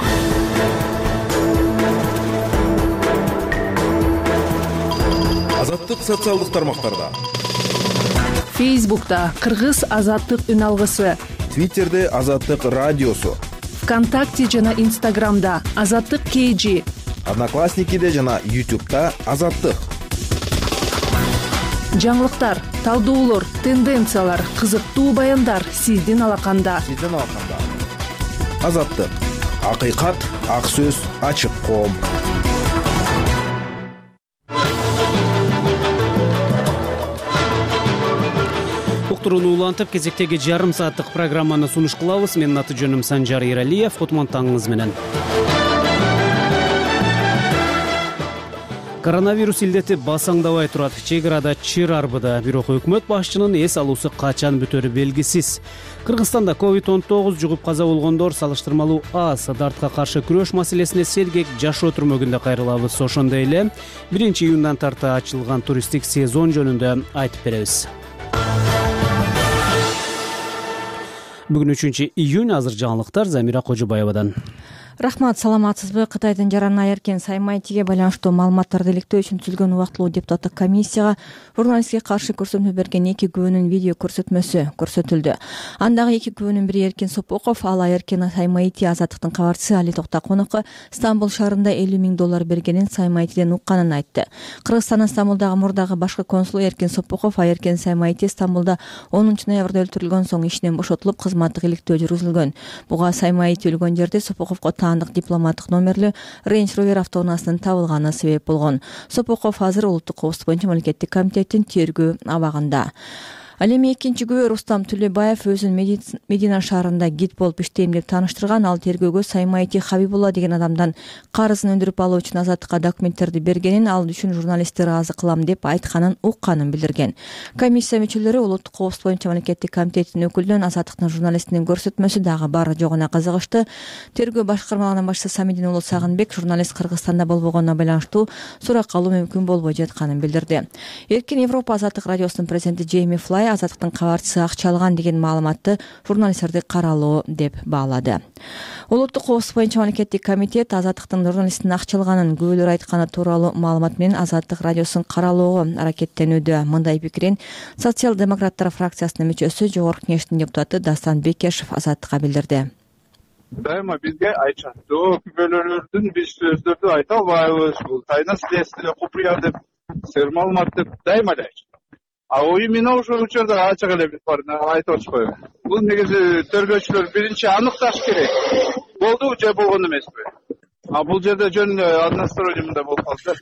бардык социалдык тармактарда. Фейсбукта Кыргыз азаттык үн алгысы, Твиттерде Азаттык радиосу, ВКонтакте жана Инстаграмда Азаттык КЖ, Одноклассникиде жана Ютубта Азаттык. Жаңылыктар, талдоолор, тенденциялар, кызыктуу баяндар сиздин алаканда. Сиздин алаканда. Азаттык. Акыйкат, ак сөз, ачык коом. Уктурууну улантып, кезектеги жарым сааттык программаны сунуш кылабыз. Менин аты жөнүм Санжар Иралиев. Кутман таңыңыз менен. Коронавирус илдети басаңдабай турат. Чек арада чыр арбыда. Бирок өкмөт башчынын эс алуусу качан бүтөрү белгисиз. Кыргызстанда ковид он тогуз жугуп каза болгондор салыштырмалуу аз. Дартка каршы күрөш маселесине сергек жашоо түрмөгүндө кайрылабыз. Ошондой эле биринчи июндан тарта ачылган туристтик сезон жөнүндө айтып беребиз. Бүгүн үчүнчү июнь. Азыр жаңылыктар Замира Кожобаевадан. Рахмат, саламатсызбы? Кытайдын жаран эркен Саймайтиге байланыштуу маалыматтарды иликтөө үчүн түзүлгөн убактылуу депутаттык комиссияга журналистке каршы көрсөтмө берген эки күбөнүн видео көрсөтмөсү көрсөтүлдү. Андагы эки күбөнүн бири Эркен Сопоков, ал Эркен Саймайти Азаттыктын кабарчысы Али Токтакуновго Стамбул шаарында элүү миң доллар бергенин Саймайтиден укканын айтты. Кыргызстандын Стамбулдагы мурдагы башкы консулу Эркен Сопоков Эркен Саймайти Стамбулда онунчу ноябрда өлтүрүлгөн соң ишинен бошотулуп, кызматтык иликтөө жүргүзүлгөн. Буга Саймайти өлгөн жерде Сопоковго таандык дипломаттык номерлүү Range Rover автоунаасынын табылганы себеп болгон. Сопоков азыр улуттук коопсуздук боюнча мамлекеттик комитеттин тергөө абагында. Ал эми экинчи күбө Рустам Түлөбаев өзүн Медина шаарында гид болуп иштейм деп тааныштырган. Ал тергөөгө Саймайти Хабибулла деген адамдан карызын өндүрүп алуу үчүн Азаттыкка документтерди бергенин, ал үчүн журналистти ыраазы кылам деп айтканын укканын билдирген. Комиссия мүчөлөрү улуттук коопсуздук боюнча мамлекеттик комитеттин өкүлүнөн Азаттыктын журналистинин көрсөтмөсү дагы бар жогуна кызыгышты. Тергөө башкармалыгынын башчысы Самидин уулу Сагынбек журналист Кыргызстанда болбогонуна байланыштуу сурак алуу мүмкүн болбой жатканын билдирди. Эркен Европа Азаттык радиосунун президенти Джейми Флай Азаттыктын кабарчысы акча алган деген маалыматты журналисттерди каралоо деп баалады. Улуттук коопсуздук боюнча мамлекеттик комитет Азаттыктын журналисттин акча алганын күбөлөр айтканы тууралуу маалымат менен Азаттык радиосун каралоого аракеттенүүдө. Мындай пикирин социал-демократтар фракциясынын мүчөсү Жогорку кеңештин депутаты Дастан Бекешев Азаттыкка билдирди. Дайыма бизге айтышат. Жок, күбөлөрдүн биз сөздөрдү айта албайбыз. Бул тайна следствие купуя деп, сер маалымат деп дайыма айтышат. А именно ошол учурда ачык эле биз барып айтып атышпайбы? Бул негизи тергөөчүлөр биринчи аныкташ керек. Болду же болгон эмеспи? А бул жерде жөн односторонний мындай болуп калды.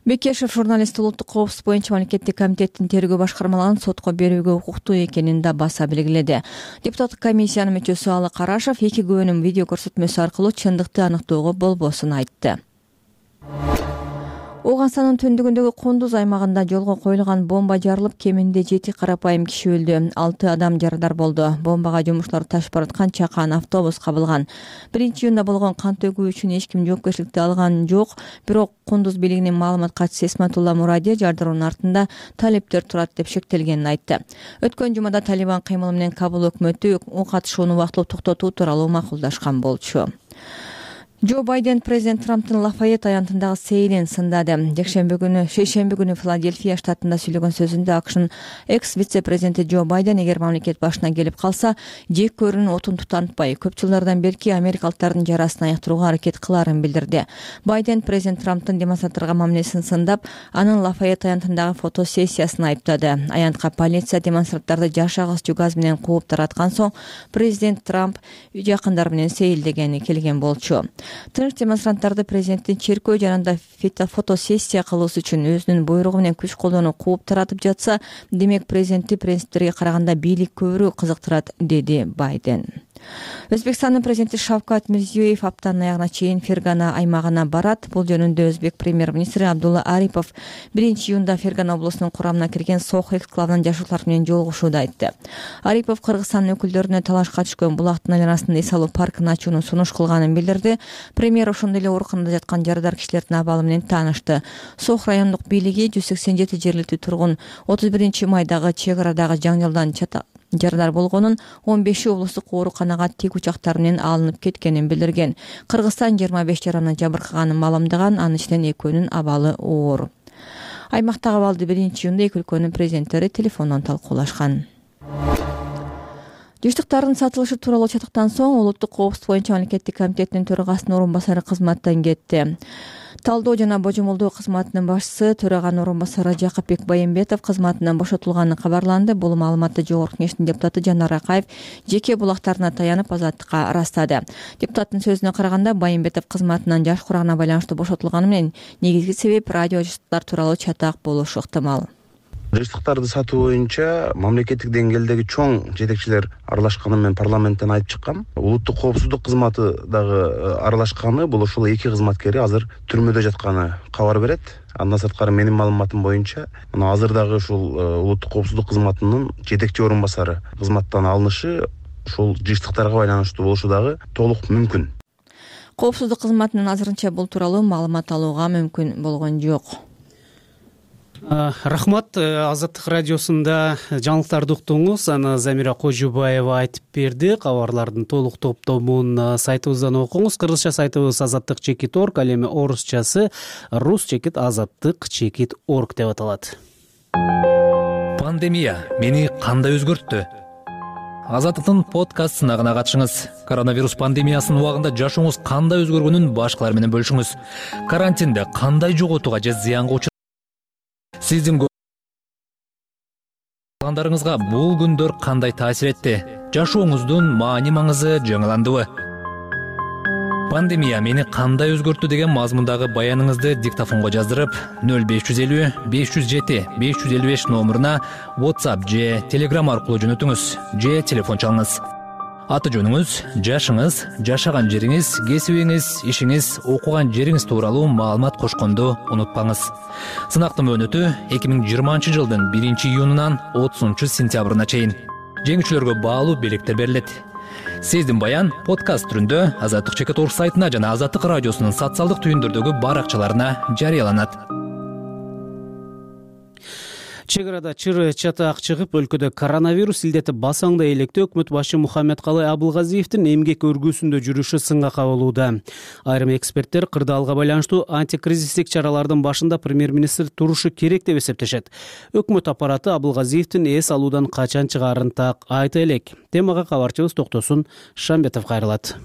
Бекешев журналист улуттук коопсуздук боюнча мамлекеттик комитеттин тергөө башкармалыгын сотко берүүгө укуктуу экенин да баса белгиледи. Депутаттык комиссиянын мүчөсү Алы Карашев эки күбөнүн видео көрсөтмөсү аркылуу чындыкты аныктоого болбосун айтты. Ооганстандын түндүгүндөгү Кундуз аймагында жолго коюлган бомба жарылып, кеминде жети карапайым киши өлдү. алты адам жарадар болду. Бомбага жумушчулар ташып бараткан чакан автобус кабылган. биринчи июнда болгон кан төгүү үчүн эч ким жоопкерчиликти алган жок. Бирок Кундуз бийлигинин маалымат катчысы Эсматулла Муради жардыруунун артында талептер турат деп шектелгенин айтты. Өткөн жумада Талибан кыймылы менен Кабул өкмөтү катышууну убактылуу токтотуу тууралуу макулдашкан болчу. Джо Байден президент Трамптын Лафайет аянтындагы сейилин сындады. Жекшемби күнү, шейшемби күнү Филадельфия штатында сүйлөгөн сөзүндө АКШнын экс-вице-президенти Джо Байден эгер мамлекет башына келип калса, жек көрүүнүн отун тутантпай, көп жылдардан берки америкалыктардын жарасын аяктырууга аракет кыларын билдирди. Байден президент Трамптын демонстранттарга мамилесин сындап, анын Лафайет аянтындагы фотосессиясын айыптады. Аянтка полиция демонстранттарды жаш агызчу газ менен кууп тараткан соң, президент Трамп жакындары менен сейилдегени келген болчу. Тыныч демонстранттарды президенттин черкөө жанында фотосессия кылуусу үчүн өзүнүн буйругу менен күч колдонуп кууп таратып жатса, демек президентти принциптерге караганда бийлик көбүрөөк кызыктырат, деди Байден. Өзбекстандын президенти Шавкат Мирзиёев аптанын аягына чейин Фергана аймагына барат. Бул жөнүндө Өзбек премьер-министри Абдулла Арипов биринчи июнда Фергана облусунун курамына кирген Сох эксклавынан жашоочулар менен жолугушууда айтты. Арипов Кыргызстандын өкүлдөрүнө талашка түшкөн булактын айланасында эс алуу паркын ачууну сунуш кылганын билдирди. Премьер ошондой эле ооруканада жаткан жарадар кишилердин абалы менен таанышты. Сох райондук бийлиги жүз сексен жети жергиликтүү тургун отуз биринчи майдагы чек арадагы жаңжалдан жарадар болгонун, он беши облустук ооруканага тик учактар менен алынып кеткенин билдирген. Кыргызстан жыйырма беш жараны жабыркаганын маалымдаган, анын ичинен экөөнүн абалы оор. Аймактагы абалды биринчи июнда эки өлкөнүн президенттери телефондон талкуулашкан. Жыштыктардын сатылышы тууралуу чатыктан соң улуттук коопсуздук боюнча мамлекеттик комитеттин төрагасынын орун басары кызматтан кетти. Талдоо жана божомолдоо кызматынын башчысы төраганын орун басары Жакыпбек Байымбетов кызматынан бошотулганы кабарланды. Бул маалыматты Жогорку Кеңештин депутаты Жанар Акаев жеке булактарына таянып Азаттыкка ырастады. Депутаттын сөзүнө караганда, Байымбетов кызматынан жаш курагына байланыштуу бошотулганы менен негизги себеп радио жыштыктар тууралуу чатак болушу ыктымал. Жыштыктарды сатуу боюнча мамлекеттик деңгээлдеги чоң жетекчилер аралашканын мен парламенттен айтып чыккам. Улуттук коопсуздук кызматы дагы аралашканы, бул ошол эки кызматкери азыр түрмөдө жатканы кабар берет. Андан сырткары менин маалыматым боюнча, мына азыр дагы ушул улуттук коопсуздук кызматынын жетекчи орун басары кызматтан алынышы ушул жыштыктарга байланыштуу болушу дагы толук мүмкүн. Коопсуздук кызматынын азырынча бул тууралуу маалымат алууга мүмкүн болгон жок. Рахмат. Азаттык радиосунда жаңылыктарды уктуңуз. Аны Замира Кожубаева айтып берди. Кабарлардын толук топтомун сайтыбыздан окуңуз. Кыргызча сайтыбыз азаттык чекит орг, ал эми орусчасы рус чекит азаттык чекит орг деп аталат. Пандемия мени кандай өзгөрттү? Азаттыктын подкаст сынагына катышыңыз. Коронавирус пандемиясынын убагында жашооңуз кандай өзгөргөнүн башкалар менен бөлүшүңүз. Карантинде кандай жоготууга же зыянга учурдуңуз? Сиздин пландарыңызга бул күндөр кандай таасир этти? Жашооңуздун маани маңызы жаңыландыбы? Пандемия мени кандай өзгөрттү деген мазмундагы баяныңызды диктофонго жаздырып, нөл беш жүз элүү беш жүз жети беш жүз элүү беш номуруна WhatsApp же Telegram аркылуу жөнөтүңүз же телефон чалыңыз. Аты жөнүңүз, жашыңыз, жашаган жериңиз, кесибиңиз, ишиңиз, окуган жериңиз тууралуу маалымат кошконду унутпаңыз. Сынактын мөөнөтү эки миң жыйырманчы жылдын биринчи июнунан отузунчу сентябрына чейин. Жеңүүчүлөргө баалуу белектер берилет. Сиздин баян подкаст түрүндө Азаттык чекит орг сайтына жана Азаттык радиосунун социалдык түйүндөрдөгү баракчаларына жарыяланат. Чек арада чыр чатак чыгып, өлкөдө коронавирус илдети басаңда электе өкмөт башы Мухаммедкалый Абылгазиевдин эмгек өргүүсүндө жүрүшү сынга кабылууда. Айрым эксперттер кырдаалга байланыштуу антикризистик чаралардын башында премьер-министр турушу керек деп эсептешет. Өкмөт аппараты Абылгазиевдин эс алуудан качан чыгаарын так айта элек. Темага кабарчыбыз Токтосун Шамбетов кайрылат.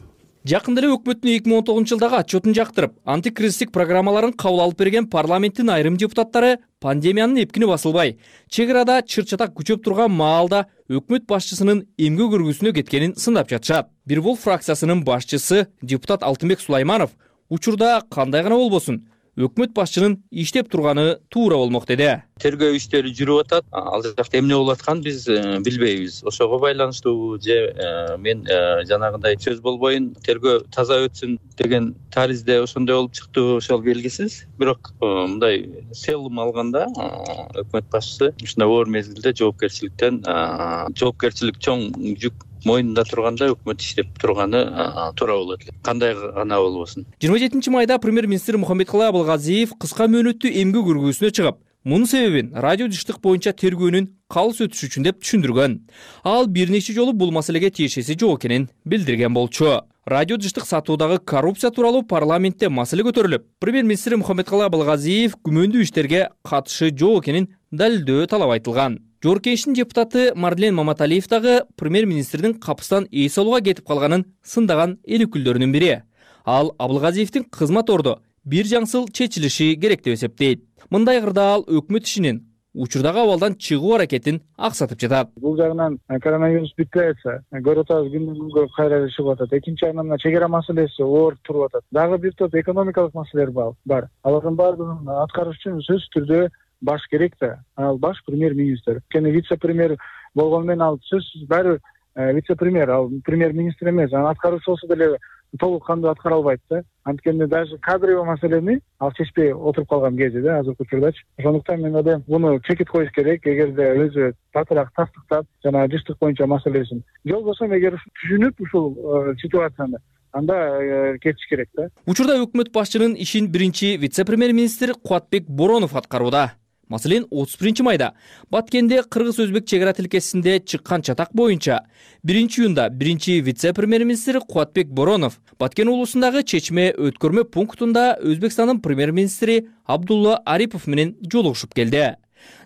Жакында эле өкмөттүн эки миң он тогузунчу жылдагы отчетун жактырып, антикризистик программаларын кабыл алып берген парламенттин айрым депутаттары пандемиянын эпкини басылбай, чек арада чыр-чатак күчөп турган маалда өкмөт башчысынын эмгек өргүүсүнө кеткенин сындап жатышат. Бир бул фракциясынын башчысы депутат Алтынбек Сулайманов учурда кандай гана болбосун, өкмөт башчынын иштеп турганы туура болмок деди. Тергөө иштери жүрүп атат. Ал жакта эмне болуп атканын биз билбейбиз. Ошого байланыштуу же мен жанагындай сөз болбойн, тергөө таза өтсүн деген таризде ошондой болуп чыкты, ошол белгисиз. Бирок мындай селым алганда өкмөт башчысы ушундай оор мезгилде жоопкерчиликтен жоопкерчилик чоң жүк мойнунда турганда өкмөт иштеп турганы туура болот эле. Кандай гана болбосун. жыйырма жетинчи майда премьер-министр Мухаммедкалый Абылгазиев кыска мөөнөттүү эмгек өргүүсүнө чыгып, мунун себебин радио жыштык боюнча тергөөнүн калыс өтүшү үчүн деп түшүндүргөн. Ал бир нече жолу бул маселеге тиешеси жок экенин билдирген болчу. Радио жыштык сатуудагы коррупция тууралуу парламентте маселе көтөрүлүп, премьер-министр Мухаммедкалый Абылгазиев күмөндүү иштерге катышы жок экенин далилдөө талап айтылган. Жогорку Кеңештин депутаты Марлен Маматалиев дагы премьер-министрдин капыстан эс алууга кетип калганын сындаган эл өкүлдөрүнүн бири. Ал Абылгазиевдин кызмат орду бир жаңсыл чечилиши керек деп эсептейт. Мындай кырдаал өкмөт ишинин учурдагы абалдан чыгуу аракетин аксатып жатат. Бул жагынан коронавирус бүтпөй атса, көрүп атабыз күндөн күнгө кайра чыгып атат. Экинчи жагынан мына чек ара маселеси оор туруп атат. Дагы бир топ экономикалык маселелер бар. Алардын баардыгын аткарыш үчүн сөзсүз түрдө баш керек да. Ал баш премьер-министр. Кene вице-премьер болгону менен ал сөзсүз баары вице-премьер, ал премьер-министр эмес. Анын аткаруучу болсо деле толук кандуу аткара албайт да. Анткени даже кадровый маселени ал чечпей отуруп калган кези да, азыркы учурдачы. Ошондуктан мен ойлойм, муну чекит коюш керек, эгерде өзү татыраак тастыктап, жана жыштык боюнча маселесин. Жол болсо эгер түшүнүп ушул ситуацияны, анда кетиш керек да. Учурда өкмөт башчынын ишин биринчи вице-премьер-министр Кубатбек Боронов аткарууда. Маселен, отуз биринчи майда Баткенде кыргыз-өзбек чек ара тилкесинде чыккан чатак боюнча биринчи июнда биринчи вице-премьер-министр Кубатбек Боронов Баткен уулусундагы чечме өткөрмө пунктунда Өзбекстандын премьер-министри Абдулла Арипов менен жолугушуп келди.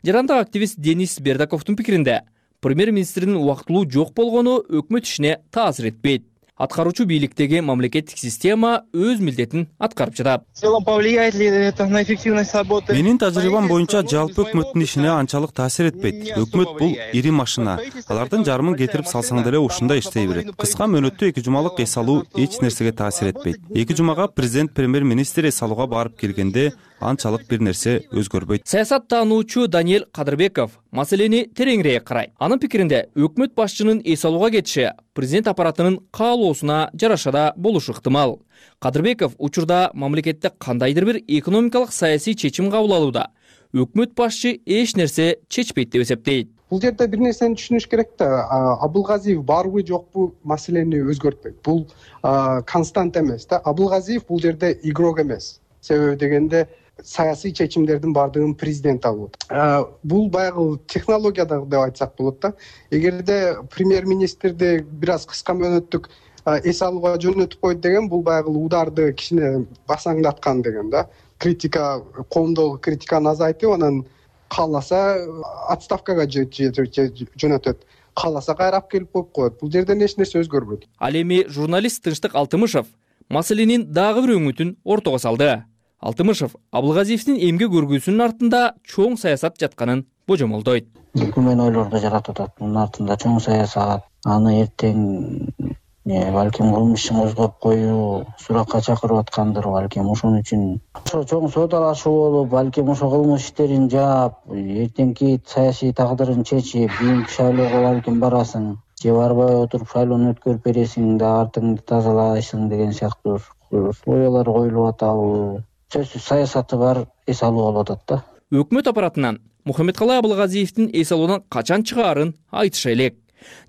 Жарандык активист Денис Бердаковдун пикиринде, премьер-министрдин убактылуу жок болгону өкмөт ишине таасир этпейт. Аткаруучу бийликтеги мамлекеттик система өз милдетин аткарып жатат. В целом повлияет ли это на эффективность работы? Менин тажрыйбам боюнча жалпы өкмөттүн ишине анчалык таасир этпейт. Өкмөт бул ири машина. Алардын жарымын кетирип салсаң деле ушундай иштей берет. Кыска мөөнөттө эки жумалык эс алуу эч нерсеге таасир этпейт. Эки жумага президент премьер-министр эс алууга барып келгенде анчалык бир нерсе өзгөрбөйт. Саясаттануучу Даниэль Кадырбеков маселени тереңирээк карайт. Анын пикиринде, өкмөт башчынын эс алууга кетиши президент аппаратынын каалоосуна жараша да болушу ыктымал. Кадырбеков учурда мамлекетте кандайдыр бир экономикалык саясий чечим кабыл алууда өкмөт башчы эч нерсе чечпейт деп эсептейт. Бул жерде бир нерсени түшүнүш керек да, Абылгазиев барбы жокпу маселени өзгөртпөйт. Бул констант эмес да. Абылгазиев бул жерде игрок эмес. Себеби дегенде саясий чечимдердин бардыгын президент алып атат. Бул баягы технологияда деп айтсак болот да. Эгерде премьер-министрди бир аз кыска мөөнөттүк эс алууга жөнөтүп койт деген, бул баягы ударды кичине басаңдаткан деген да. Критика, коомдогу критиканы азайтып, анан кааласа отставкага жөнөтөт. Кааласа кайрап келип коюп коет. Бул жерден эч нерсе өзгөрбөйт. Ал эми журналист Тынчтык Алтымышев маселенин дагы бир өңүтүн ортого салды. Алтымышев Абылгазиевдин эмгек өргүүсүнүн артында чоң саясат жатканын божомолдойт. Күмөн ойлорду жаратып атат. Мунун артында чоң саясат, аны эртең балким кылмыш ишин козгоп коюу, суракка чакырып аткандыр балким. Ошон үчүн ошо чоң соодалашуу болуп, балким ошо кылмыш иштерин жаап, эртеңки саясий тагдырын чечип, кийинки шайлоого балким барасың, же барбай отуруп шайлоону өткөрүп бересиң да артыңды тазалайсың деген сыяктуу оюлар коюлуп атабы. Сөзсүз саясаты бар эс алуу болуп атат да. Өкмөт аппаратынан Мухаммедкалый Абылгазиевдин эс алуудан качан чыгаарын айтыша элек.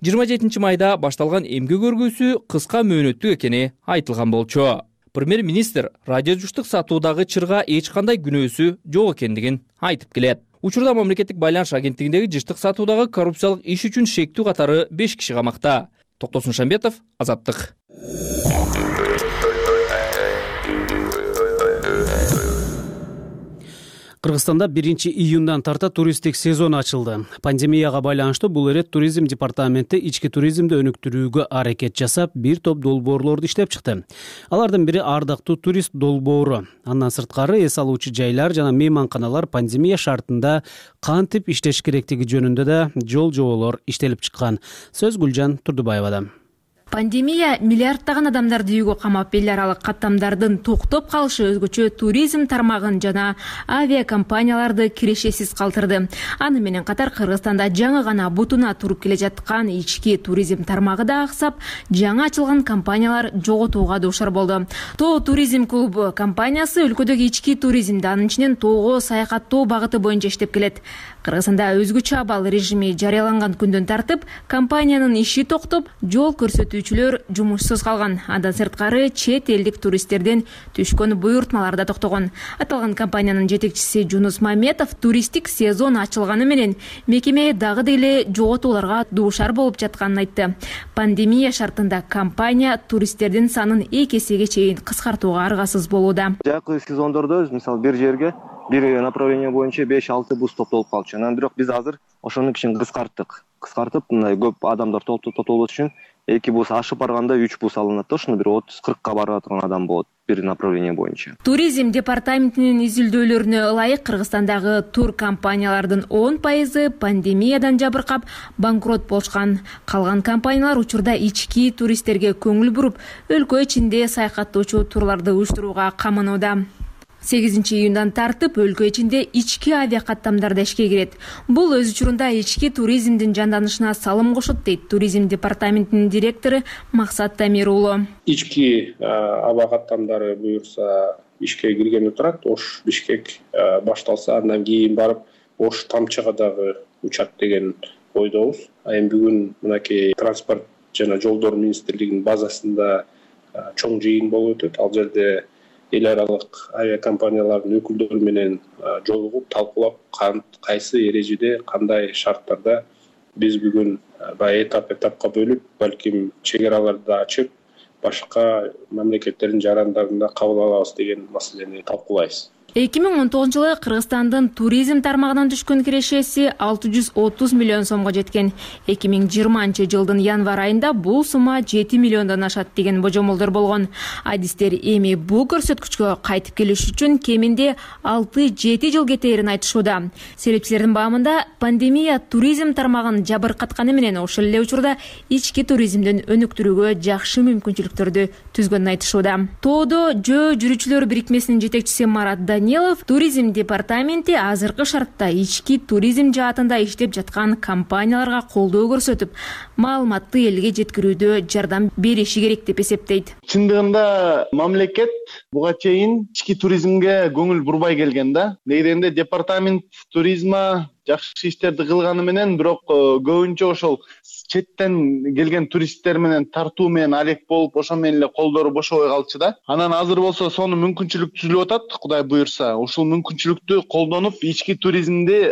жыйырма жетинчи майда башталган эмгек өргүүсү кыска мөөнөттүк экени айтылган болчу. Премьер-министр радиожуштук сатуудагы чырга эч кандай күнөөсү жок экендигин айтып келет. Учурда мамлекеттик байланыш агенттигиндеги жыштык сатуудагы коррупциялык иш үчүн шектүү катары беш киши камакта. Токтосун Шамбетов, Азаттык. Кыргызстанда биринчи июндан тарта туристтик сезон ачылды. Пандемияга байланыштуу бул ирет туризм департаменти ички туризмди өнүктүрүүгө аракет жасап, бир топ долбоорлорду иштеп чыкты. Алардын бири ардактуу турист долбоору. Андан сырткары эс алуучу жайлар жана мейманканалар пандемия шартында кантип иштеш керектиги жөнүндө да жол жоболор иштелип чыккан. Сөз Гүлжан Турдубаевада. Пандемия миллиарддаган адамдарды үйгө камап, эл аралык каттамдардын токтоп калышы өзгөчө туризм тармагын жана авиакомпанияларды кирешесиз калтырды. Аны менен катар Кыргызстанда жаңы гана бутуна туруп келе жаткан ички туризм тармагы да аксап, жаңы ачылган компаниялар жоготууга дуушар болду. Тоо туризм клубу компаниясы өлкөдөгү ички туризмди, анын ичинен тоого саякаттоо багыты боюнча иштеп келет. Кыргызстанда өзгөчө абал режими жарыяланган күндөн тартып, компаниянын иши токтоп, жол көрсөтүүчүлөр жумушсуз калган. Андан сырткары чет элдик туристтерден түшкөн буйртмалар да токтогон. Аталган компаниянын жетекчиси Жунус Маметов туристтик сезон ачылганы менен мекеме дагы деле жоготууларга дуушар болуп жатканын айтты. Пандемия шартында компания туристтердин санын эки эсеге чейин кыскартууга аргасыз болууда. Жакшы сезондордо мисалы бир жерге бир направление боюнча беш алты бус топтолуп калчу. Анан бирок биз азыр ошону кичине кыскарттык. Кыскартып, мындай көп адамдар топтолот үчүн эки бус ашып барганда үч бус алынат да, ошону бир отуз кыркка барып аткан адам болот бир направление боюнча. Туризм департаментинин изилдөөлөрүнө ылайык Кыргызстандагы тур компаниялардын он пайызы пандемиядан жабыркап банкрот болушкан. Калган компаниялар учурда ички туристтерге көңүл буруп, өлкө ичинде саякаттоочу турларды уюштурууга каманууда. сегизинчи июндан тартып өлкө ичинде ички авиакаттамдар да ишке кирет. Бул өз учурунда ички туризмдин жанданышына салым кошот, дейт туризм департаментинин директору Максат Тамир уулу. Ички авиакаттамдары буюрса ишке киргени турат. Ош Бишкек башталса, андан кийин барып Ош Тамчыга дагы учат деген ойдобуз. А эми бүгүн мынакей транспорт жана жолдор министрлигинин базасында чоң жыйын болуп өтөт. Ал жерде эл аралык авиакомпаниялардын өкүлдөрү менен жолугуп талкуулап кайсы эрежеде кандай шарттарда биз бүгүн баягы этап этапка бөлүп балким чек араларды да ачып башка мамлекеттердин жарандарында кабыл алабыз деген маселени талкуулайбыз. эки миң он тогузунчу жылы Кыргызстандын туризм тармагынан түшкөн кирешеси алты жүз отуз миллион сомго жеткен. эки миң жыйырманчы жылдын январь айында бул сумма жети миллиондон ашат деген божомолдор болгон. Адистер эми бул көрсөткүчкө кайтып келиш үчүн кеминде алты жети жыл кетээрин айтышууда. Серепчилердин баамында пандемия туризм тармагын жабыркатканы менен ошол эле учурда ички туризмдин өнүктүрүүгө жакшы мүмкүнчүлүктөрдү түзгөнүн айтышууда. Тоодо жөө жүрүүчүлөр бирикмесинин жетекчиси Марат Данилов туризм департаменти азыркы шартта ички туризм жаатында иштеп жаткан компанияларга колдоо көрсөтүп, маалыматты элге жеткирүүдө жардам бериши керек деп эсептейт. Чындыгында мамлекет буга чейин ички туризмге көңүл бурбай келген да. Негизинде департамент туризма жакшы иштерди кылганы менен, бирок көбүнчө ошол четтен келген туристтер менен тартуу менен алек болуп, ошо менен эле колдору бошобой калчу да. Анан азыр болсо сонун мүмкүнчүлүк түзүлүп атат, Кудай буюрса. Ушул мүмкүнчүлүктү колдонуп, ички туризмди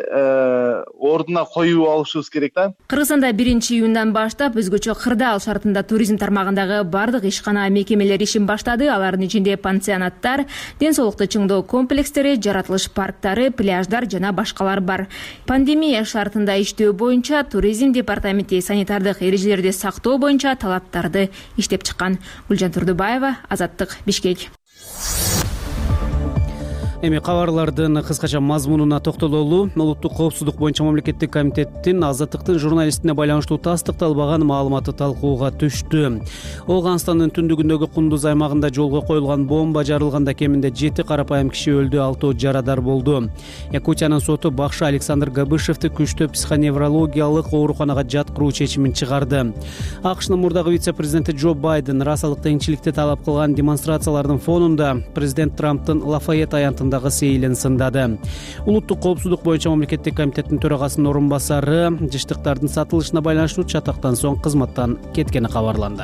ордуна коюп алышыбыз керек да. Кыргызстанда биринчи июндан баштап өзгөчө кырдаал шартында туризм тармагындагы бардык ишкана мекемелер ишин баштады. Алардын ичинде пансионаттар, ден соолукту чыңдоо комплекстери, жаратылыш парктары, пляждар жана башкалар бар. Пандемия шартында иштөө боюнча туризм департаменти санитардык эрежелерди сактоо боюнча талаптарды иштеп чыккан. Гүлжан Турдубаева, Азаттык, Бишкек. Эми кабарлардын кыскача мазмунуна токтололу. Улуттук коопсуздук боюнча мамлекеттик комитеттин Азаттыктын журналистине байланыштуу тастыкталбаган маалыматы талкууга түштү. Ооганстандын түндүгүндөгү Кундуз аймагында жолго коюлган бомба жарылганда кеминде жети карапайым киши өлдү, алтоо жарадар болду. Якутиянын соту бакшы Александр Габышевди күчтүү психоневрологиялык ооруканага жаткыруу чечимин чыгарды. АКШнын мурдагы вице-президенти Джо Байден расалык теңчиликти талап кылган демонстрациялардын фонунда президент Трамптын Лафайет аянтында сейилин сындады. Улуттук коопсуздук боюнча мамлекеттик комитеттин төрагасынын орун басары жыштыктардын сатылышына байланыштуу чатактан соң кызматтан кеткени кабарланды.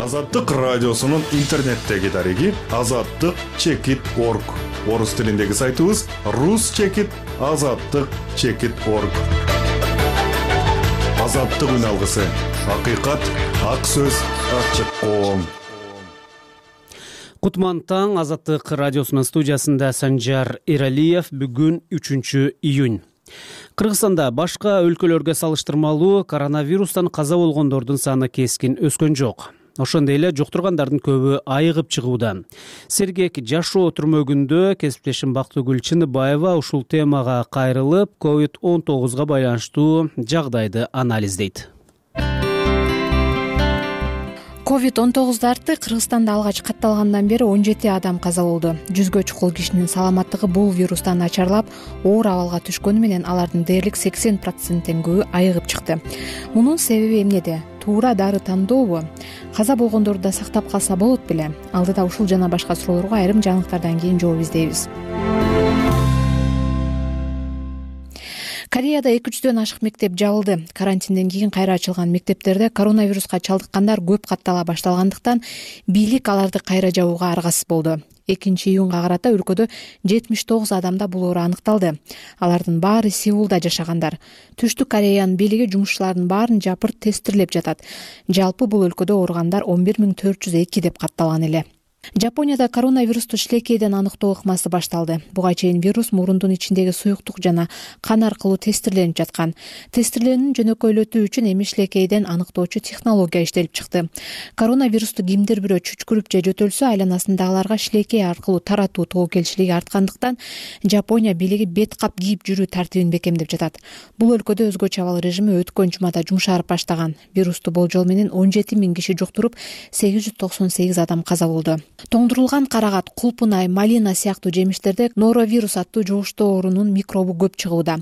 Азаттык радиосунун интернеттеги дареги азаттык чекит точка орг. Орус тилиндеги сайтыбыз рус чекит азаттык чекит точка орг. Азаттык үн алгысы. Акыйкат, ак сөз, ачык коом. Кутман таң, Азаттык радиосунун студиясында Санжар Эралиев. Бүгүн үчүнчү июнь. Кыргызстанда башка өлкөлөргө салыштырмалуу коронавирустан каза болгондордун саны кескин өскөн жок. Ошондой эле жуктургандардын көбү айыгып чыгууда. Сергек жашоо түрмөгүндө кесиптешим Бактыгүл Чыныбаева ушул темага кайрылып, ковид он тогузга байланыштуу жагдайды анализдейт. ковид он тогуз дарты Кыргызстанда алгач катталгандан бери он жети адам каза болду. Жүзгө чукул кишинин саламаттыгы бул вирустан начарлап, оор абалга түшкөнү менен алардын дээрлик сексен проценттен көбү айыгып чыкты. Мунун себеби эмнеде? Туура дары тандообу? Каза болгондорду да сактап калса болот беле? Алдыда ушул жана башка суроолорго айрым жаңылыктардан кийин жооп издейбиз. Кореяда эки жүздөн ашык мектеп жабылды. Карантинден кийин кайра ачылган мектептерде коронавируска чалдыккандар көп каттала башталгандыктан бийлик аларды кайра жабууга аргасыз болду. экинчи июнга карата өлкөдө жетимиш тогуз адамда бул оору аныкталды. Алардын баары Сеулда жашагандар. Түштүк Кореянын бийлиги жумушчулардын баарын жапырт тестирлеп жатат. Жалпы бул өлкөдө ооругандар он бир миң төрт жүз эки деп катталган эле. Жапонияда коронавирусту шилекейден аныктоо ыкмасы башталды. Буга чейин вирус мурундун ичиндеги суюктук жана кан аркылуу тестирленип жаткан. Тестирлөөнүн жөнөкөйлөтүү үчүн эми шилекейден аныктоочу технология иштелип чыкты. Коронавирусту кимдир бирөө чүчкүрүп же жөтөлсө, айланасындагыларга шилекей аркылуу таратуу тобокелчилиги арткандыктан Жапония бийлиги бет кап кийип жүрүү тартибин бекемдеп жатат. Бул өлкөдө өзгөчө абал режими өткөн жумада жумшарып баштаган. Вирусту болжол менен он жети миң киши жуктуруп, сегиз жүз токсон сегиз адам каза болду. Тоңдурулган карагат, кулпунай, малина сыяктуу жемиштерде норовирус аттуу жугуштуу оорунун микробу көп чыгууда.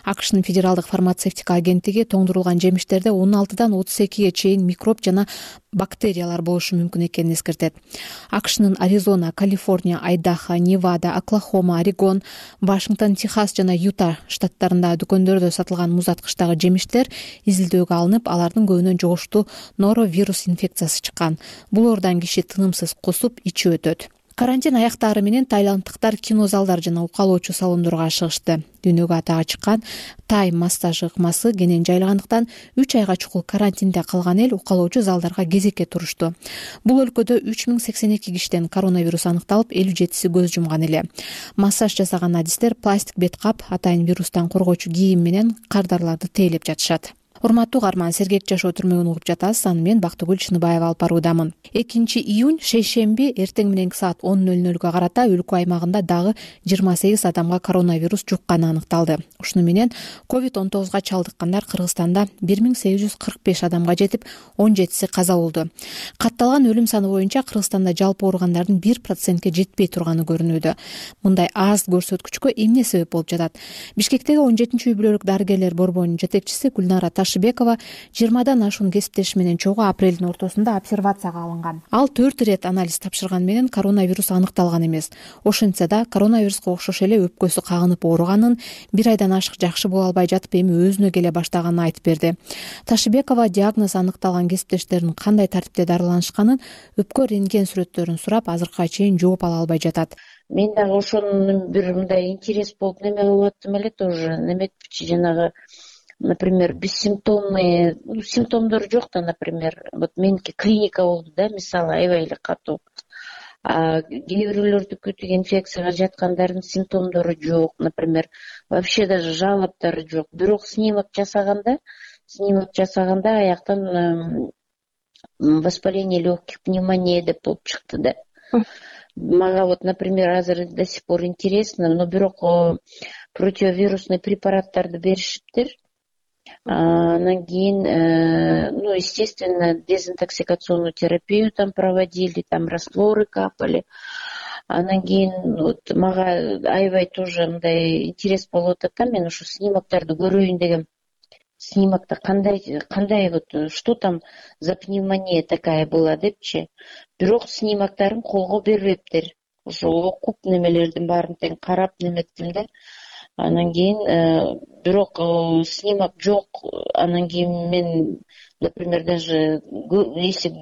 АКШнын федералдык фармацевтика агенттиги тоңдурулган жемиштерде он алтыдан отуз экиге чейин микроб жана бактериялар болушу мүмкүн экенин эскертет. акшнын Аризона, Калифорния, Айдахо, Невада, Оклахома, Орегон, Вашингтон, Техас жана Юта штаттарындагы дүкөндөрдө сатылган музаткычтагы жемиштер изилдөөгө алынып, алардын көбүнөн жугуштуу норовирус инфекциясы чыккан. Бул оордан киши тынымсыз кусуп, ичи өтөт. Карантин аяктаары менен тайланддыктар кинозалдар жана укалоочу салондорго ашыгышты. Дүйнөгө атага чыккан тай массаж ыкмасы кенен жайлагандыктан үч айга чукул карантинде калган эл укалоочу залдарга кезекке турушту. Бул өлкөдө үч миң сексен эки кишиден коронавирус аныкталып, элүү жетиси көз жумган эле. Массаж жасаган адистер пластик бет кап, атайын вирустан коргоочу кийим менен кардарларды тейлеп жатышат. Урматтуу угарман, сергек жашоо түрмөгүн угуп жатасыз. Аны мен Бактыгүл Чыныбаева алып баруудамын. экинчи июнь шейшемби эртең мененки саат он ноль нолго карата өлкө аймагында дагы жыйырма сегиз адамга коронавирус жукканы аныкталды. Ушуну менен ковид он тогузга чалдыккандар Кыргызстанда бир миң сегиз жүз кырк беш адамга жетип, он жетиси каза болду. Катталган өлүм саны боюнча Кыргызстанда жалпы ооругандардын бир процентке жетпей турганы көрүнүүдө. Мындай аз көрсөткүчкө эмне себеп болуп жатат? Бишкектеги он жетинчи үй бүлөлүк дарыгерлер борборунун жетекчиси Гүлнара Ташыбекова жыйырмадан ашуун кесиптеши менен чогуу апрелдин ортосунда обсервацияга алынган. Ал төрт ирет анализ тапшырган менен коронавирус аныкталган эмес. Ошентсе да коронавируска окшош эле өпкөсү кагынып ооруганын, бир айдан ашык жакшы боло албай жатып эми өзүнө келе баштаганын айтып берди. Ташыбекова диагноз аныкталган кесиптештеринин кандай тартипте дарыланышканын, өпкө рентген сүрөттөрүн сурап, азыркыга чейин жооп ала албай жатат. Мен дагы ошонун бир мындай интерес болуп неме кылып аттым эле тоже. Неметчи жанагы, например, бессимптомный, ну, симптомдору жок да, например, вот меники клиника болду да, мисалы, аябай эле катуу. А кээ бирөөлөрдүкү тиги инфекцияга жаткандардын симптомдору жок, например, вообще даже жалоптары жок. Бирок снимок жасаганда, снимок жасаганда аяктан воспаление легких, пневмония деп болуп чыкты да. Мага вот, например, азыр до сих пор интересно, но бирок противовирусный препараттарды беришиптир. Анан кийин, ну, естественно, дезинтоксикационную терапию там проводили, там растворы капали. Анан кийин вот мага аябай тоже мындай интерес болуп атат да, мен ушу снимоктарды көрөйүн дегем. Снимокто кандай, кандай вот, что там за пневмония такая была депчи. Бирок снимоктарын колго бербептир. Ошо окуп немелердин баарын тең карап неметтим да. Анан кийин бирок снимок жок. Анан кийин мен, например, даже если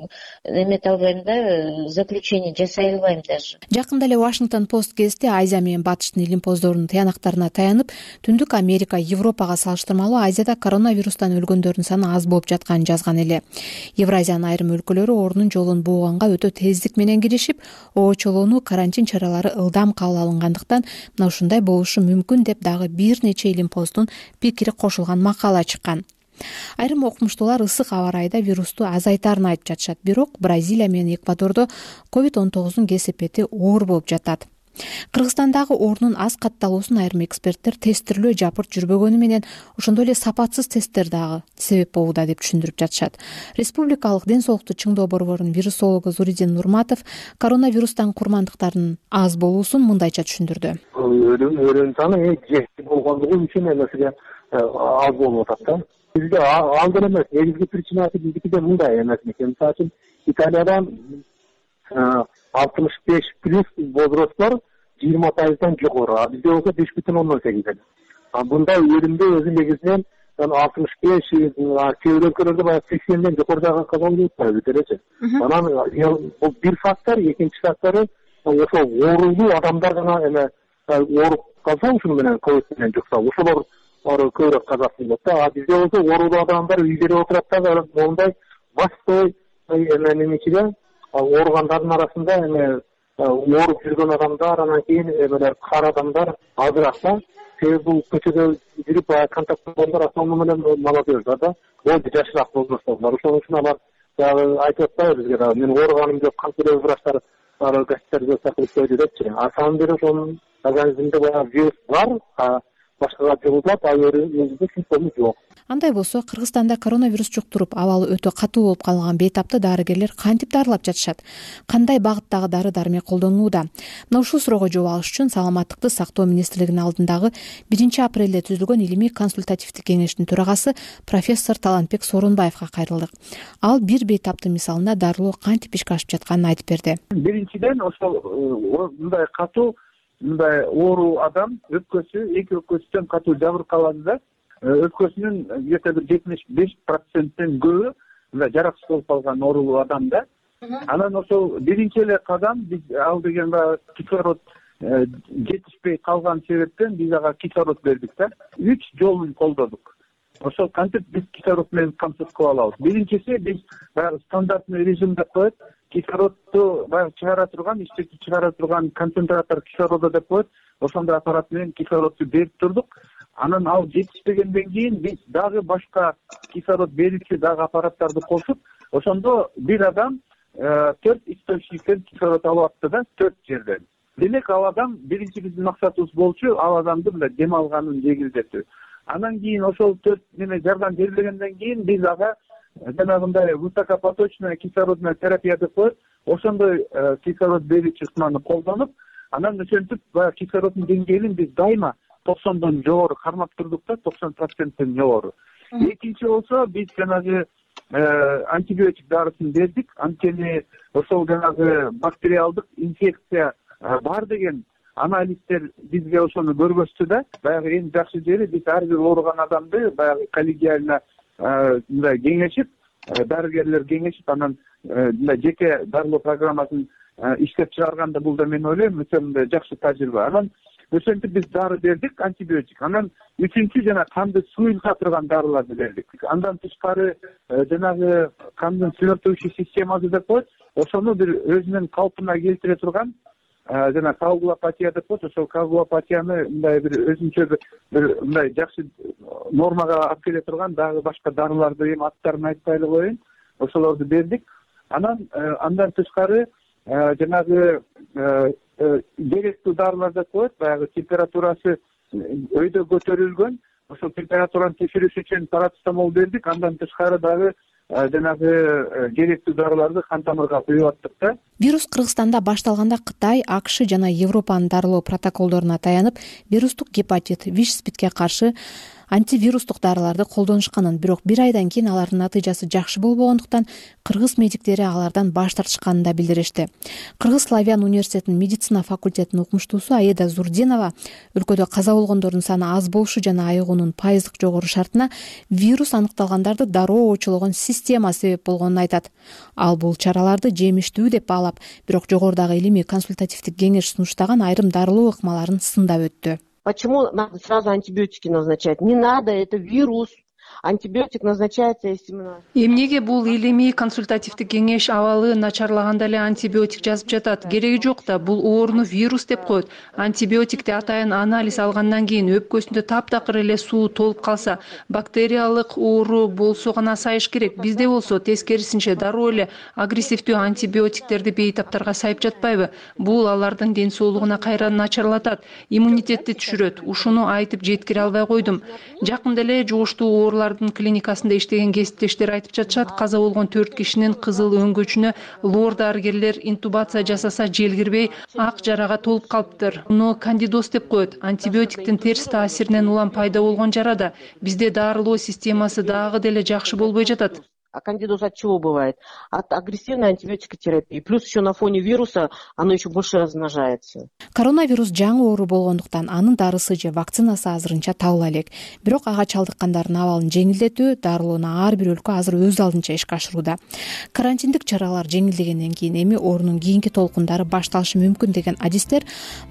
эмете албайм да, заключение жасай албайм даже. Жакында эле Вашингтон Пост гезити Азия менен Батыштын илимпоздорунун тыянактарына таянып, Түндүк Америка, Европага салыштырмалуу Азияда коронавирустан өлгөндөрдүн саны аз болуп жатканын жазган эле. Евразиянын айрым өлкөлөрү оорунун жолун бууганга өтө тездик менен киришип, оочолоону, карантин чаралары ылдам кабыл алынгандыктан мына ушундай болушу мүмкүн деп дагы бир нече илимпоздун пикири кошулган макала чыккан. Айрым окумуштуулар ысык аба ырайда вирусту азайтарын айтып жатышат. Бирок Бразилия менен Эквадордо ковид он тогуздун кесепети оор болуп жатат. Кыргызстандагы оорунун аз катталуусун айрым эксперттер тесттирүү жапырт жүрбөгөнү менен ошондой эле сапатсыз тесттер дагы себеп болууда деп түшүндүрүп жатышат. Республикалык ден соолукту чыңдоо борборунун вирусологу Зуридин Нурматов коронавирустан курмандыктардын аз болуусун мындайча түшүндүрдү. Өлүм саны жети болгондугу үчүн эмеси аз болуп атат да. Бизде ал деле эмес, негизги причинасы биздикиде мындай эмес экен. Мисалы үчүн Италиядан алтымыш беш плюс возрасттар жыйырма пайыздан жогору, а бизде болсо беш бүтүн ондон сегиз. Мындай өлүмдү өзү негизинен алтымыш беш, кээ бир өлкөлөрдө баягы сексенден жогорудагы казалып атпайбы делечи. Анан бул бир фактор, экинчи фактору ошо оорулуу адамдар гана эме ооруп калса, ушуну менен ковид менен жукса, ошолор көбүрөөк каза болот да. А бизде болсо оорулуу адамдар үйлөрү отурат да, мондай бастой эмечиде ооругандардын арасында эме ооруп жүргөн адамдар, анан кийин эмелер кар адамдар азыраак да. Себеби бул көчөдө жүрүп контакт болгондор основном менен молодежьдар да, болду жашыраак возрасттагылар. Ошон үчүн алар дагы айтып атпайбы бизге дагы, мен ооруганым жок, канчалык врачтар гоститерге чакырып койду депчи. А самом деле ошонун организминде баягы вирус бар, а башкага жугулат, а өзүндө симптому жок. андай болсо Кыргызстанда коронавирус жуктуруп абалы өтө катуу болуп калган бейтапты дарыгерлер кантип дарылап жатышат, кандай багыттагы дары дармек колдонулууда? Мына ушул суроого жооп алыш үчүн саламаттыкты сактоо министрлигинин алдындагы биринчи апрелде түзүлгөн илимий консультативдик кеңештин төрагасы профессор Талантбек Сооронбаевга кайрылдык. Ал бир бейтаптын мисалында дарылоо кантип ишке ашып жатканын айтып берди. Биринчиден ошол мындай катуу мындай оору адам өпкөсү эки өпкөсүнөн катуу жабыркалады да, өпкөсүнүн где то бир жетимиш беш проценттен көбү мындай жараксыз болуп калган оорулуу адамда. Анан ошол биринчи эле кадам биз ал деген баягы кислород жетишпей калган себептен биз ага кислород бердик да. Үч жолун колдодук. Ошол кантип биз кислород менен камсыз кыла алабыз? Биринчиси биз баягы стандартный режим деп коет. Кислородду баягы чыгара турган, иштетип чыгара турган концентратор кислорода деп коет. Ошондой аппарат менен кислородду берип турдук. Анан ал жетишпегенден кийин биз дагы башка кислород берүүчү дагы аппараттарды кошуп, ошондо бир адам төрт источниктен кислород алып атты да, төрт жерден. Демек ал адам биринчи биздин максатыбыз болчу ал адамды мындай дем алганын жеңилдетүү. Анан кийин ошол төрт неме жардам берилгенден кийин биз ага жанагындай высокопоточная кислородная терапия деп коет. Ошондой кислород берүүчү ыкманы колдонуп, анан ошентип баягы кислороддун деңгээлин биз дайыма токсондон жогору кармап турдук да, токсон проценттен жогору. Экинчи болсо биз жанагы антибиотик дарысын бердик. Анткени ошол жанагы бактериалдык инфекция бар деген анализдер бизге ошону көргөздү да. Баягы эң жакшы жери биз ар бир ооруган адамды баягы коллегиально мындай кеңешип, дарыгерлер кеңешип, анан мындай жеке дарылоо программасын иштеп чыгарганда бул да мен ойлойм өтө мындай жакшы тажрыйба. Анан ошентип биз дары бердик, антибиотик. Анан үчүнчү жана канды суюлта турган дарыларды бердик. Андан тышкары жанагы кандын свертывающий системасы деп коет. Ошону бир өзүнүн калпына келтире турган жана коагулопатия деп коет. Ошол коагулопатияны мындай бир өзүнчө бир мындай жакшы нормага алып келе турган дагы башка дарыларды эми аттарын айтпай эле коеюн. Ошолорду бердик. Анан андан тышкары жанагы керектүү дарылар деп коет. Баягы температурасы өйдө көтөрүлгөн. Ошол температураны текшериш үчүн парацетамол бердик. Андан тышкары дагы жанагы керектүү дарыларды кан тамырга куюп аттык да. Вирус Кыргызстанда башталганда Кытай, АКШ жана Европанын дарылоо протоколдоруна таянып, вирустук гепатит, ВИЧ-спидке каршы антивирустук дарыларды колдонушканын, бирок бир айдан кийин алардын натыйжасы жакшы болбогондуктан кыргыз медиктери алардан баш тартышканын да билдиришти. Кыргыз Славян университетинин медицина факультетинин окумуштуусу Аида Зурдинова өлкөдө каза болгондордун саны аз болушу жана айыгуунун пайыздык жогору шартына вирус аныкталгандарды дароо очулогон система себеп болгонун айтат. Ал бул чараларды жемиштүү деп баалап, бирок жогорудагы илимий консультативдик кеңеш сунуштаган айрым дарылоо ыкмаларын сындап өттү. Почему надо сразу антибиотики назначать? Не надо, это вирус. Антибиотик назначается именно. Эмнеге бул илимий консультативдик кеңеш абалы начарлаганда эле антибиотик жазып жатат? Кереги жок да, бул ооруну вирус деп коет. Антибиотикти атайын анализ алгандан кийин өпкөсүндө таптакыр эле суу толуп калса, бактериялык оору болсо гана сайыш керек. Бизде болсо тескерисинче дароо эле агрессивдүү антибиотиктерди бейтаптарга сайып жатпайбы? Бул алардын ден соолугуна кайра начарлатат, иммунитетти түшүрөт. Ушуну айтып жеткире албай койдум. Жакында эле жугуштуу оорулардын клиникасында иштеген кесиптештер айтып жатышат, каза болгон төрт кишинин кызыл өңгөчүнө лор дарыгерлер интубация жасаса жел кирбей ак жарага толуп калыптыр. Муну кандидоз деп коет. Антибиотиктин терс таасиринен улам пайда болгон жара да. Бизде дарылоо системасы дагы деле жакшы болбой жатат. А кандидоз от чего бывает? От агрессивной антибиотикотерапии. Плюс еще на фоне вируса оно еще больше размножается. Коронавирус жаңы оору болгондуктан анын дарысы же вакцинасы азырынча табыла элек. Бирок ага чалдыккандардын абалын жеңилдетүү дарылоону ар бир өлкө азыр өз алдынча ишке ашырууда. Карантиндик чаралар жеңилдегенден кийин эми оорунун кийинки толкундары башталышы мүмкүн деген адистер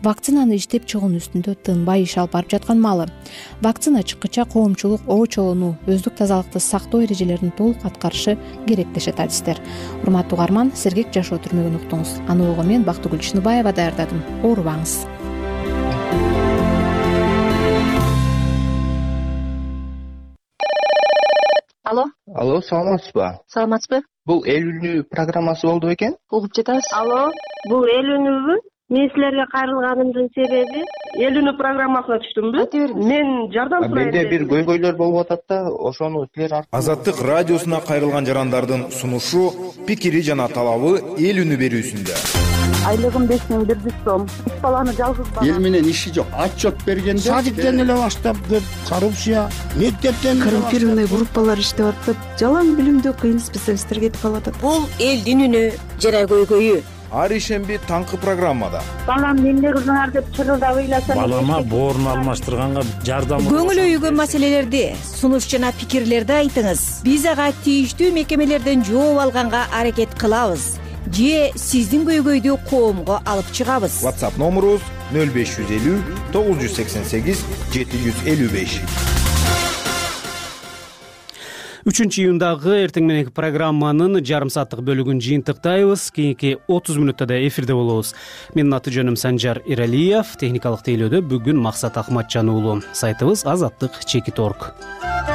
вакцинаны иштеп чыгуунун үстүндө тынбай иш алып барып жаткан маалы. Вакцина чыккыча коомчулук оочолууну, өздүк тазалыкты сактоо эрежелерин толук аткар керек дешет адистер. Урматтуу угарман, сергек жашоо түрмөгүн уктуңуз. Аны угуу мен Бактыгүл Чыныбаева даярдадым. Оорубаңыз. Алло. Алло, саламатсызбы? Саламатсызбы? Бул эл үнү программасы болду бекен? Угуп жатабыз. Алло, бул эл үнүбү? Мен силерге кайрылганымдын себеби эл үнү программасына түштүмбү? Мен жардам сурайын. Менде бир көйгөйлөр болуп атат да, ошону силер аркылуу. Азаттык радиосуна кайрылган жарандардын сунушу, пикири жана талабы эл үнү берүүсүндө. Айлыгым беш миң бир жүз сом. Үч баланы жалгыз бала. Эл менен иши жок. Отчет бергенде садиктен эле баштап деп, коррупция, мектептен коррумпированный группалар иштеп атып, жалаң билимдүү кыйын специалисттер кетип калатат. Бул элдин үнү жана көйгөйү. Ар ишемби таңкы программада. Балам эмне кылдыңар деп чырылдап ыйласам. Балама боорун алмаштырганга жардам. Көңүл өйгөн маселелерди, сунуш жана пикирлерди айтыңыз. Биз ага тийиштүү мекемелерден жооп алганга аракет кылабыз. Же сиздин көйгөйдү коомго алып чыгабыз. WhatsApp номерубуз нөл беш жүз элүү тогуз жүз сексен сегиз жети жүз элүү беш. үчүнчү июндагы эртең мененки программанын жарым сааттык бөлүгүн жыйынтыктайбыз. Кийинки отуз мүнөттө да эфирде болобуз. Менин аты жөнүм Санжар Иралиев. Техникалык тейлөөдө бүгүн Максат Акматжан уулу. Сайтыбыз азаттык чекит точка орг.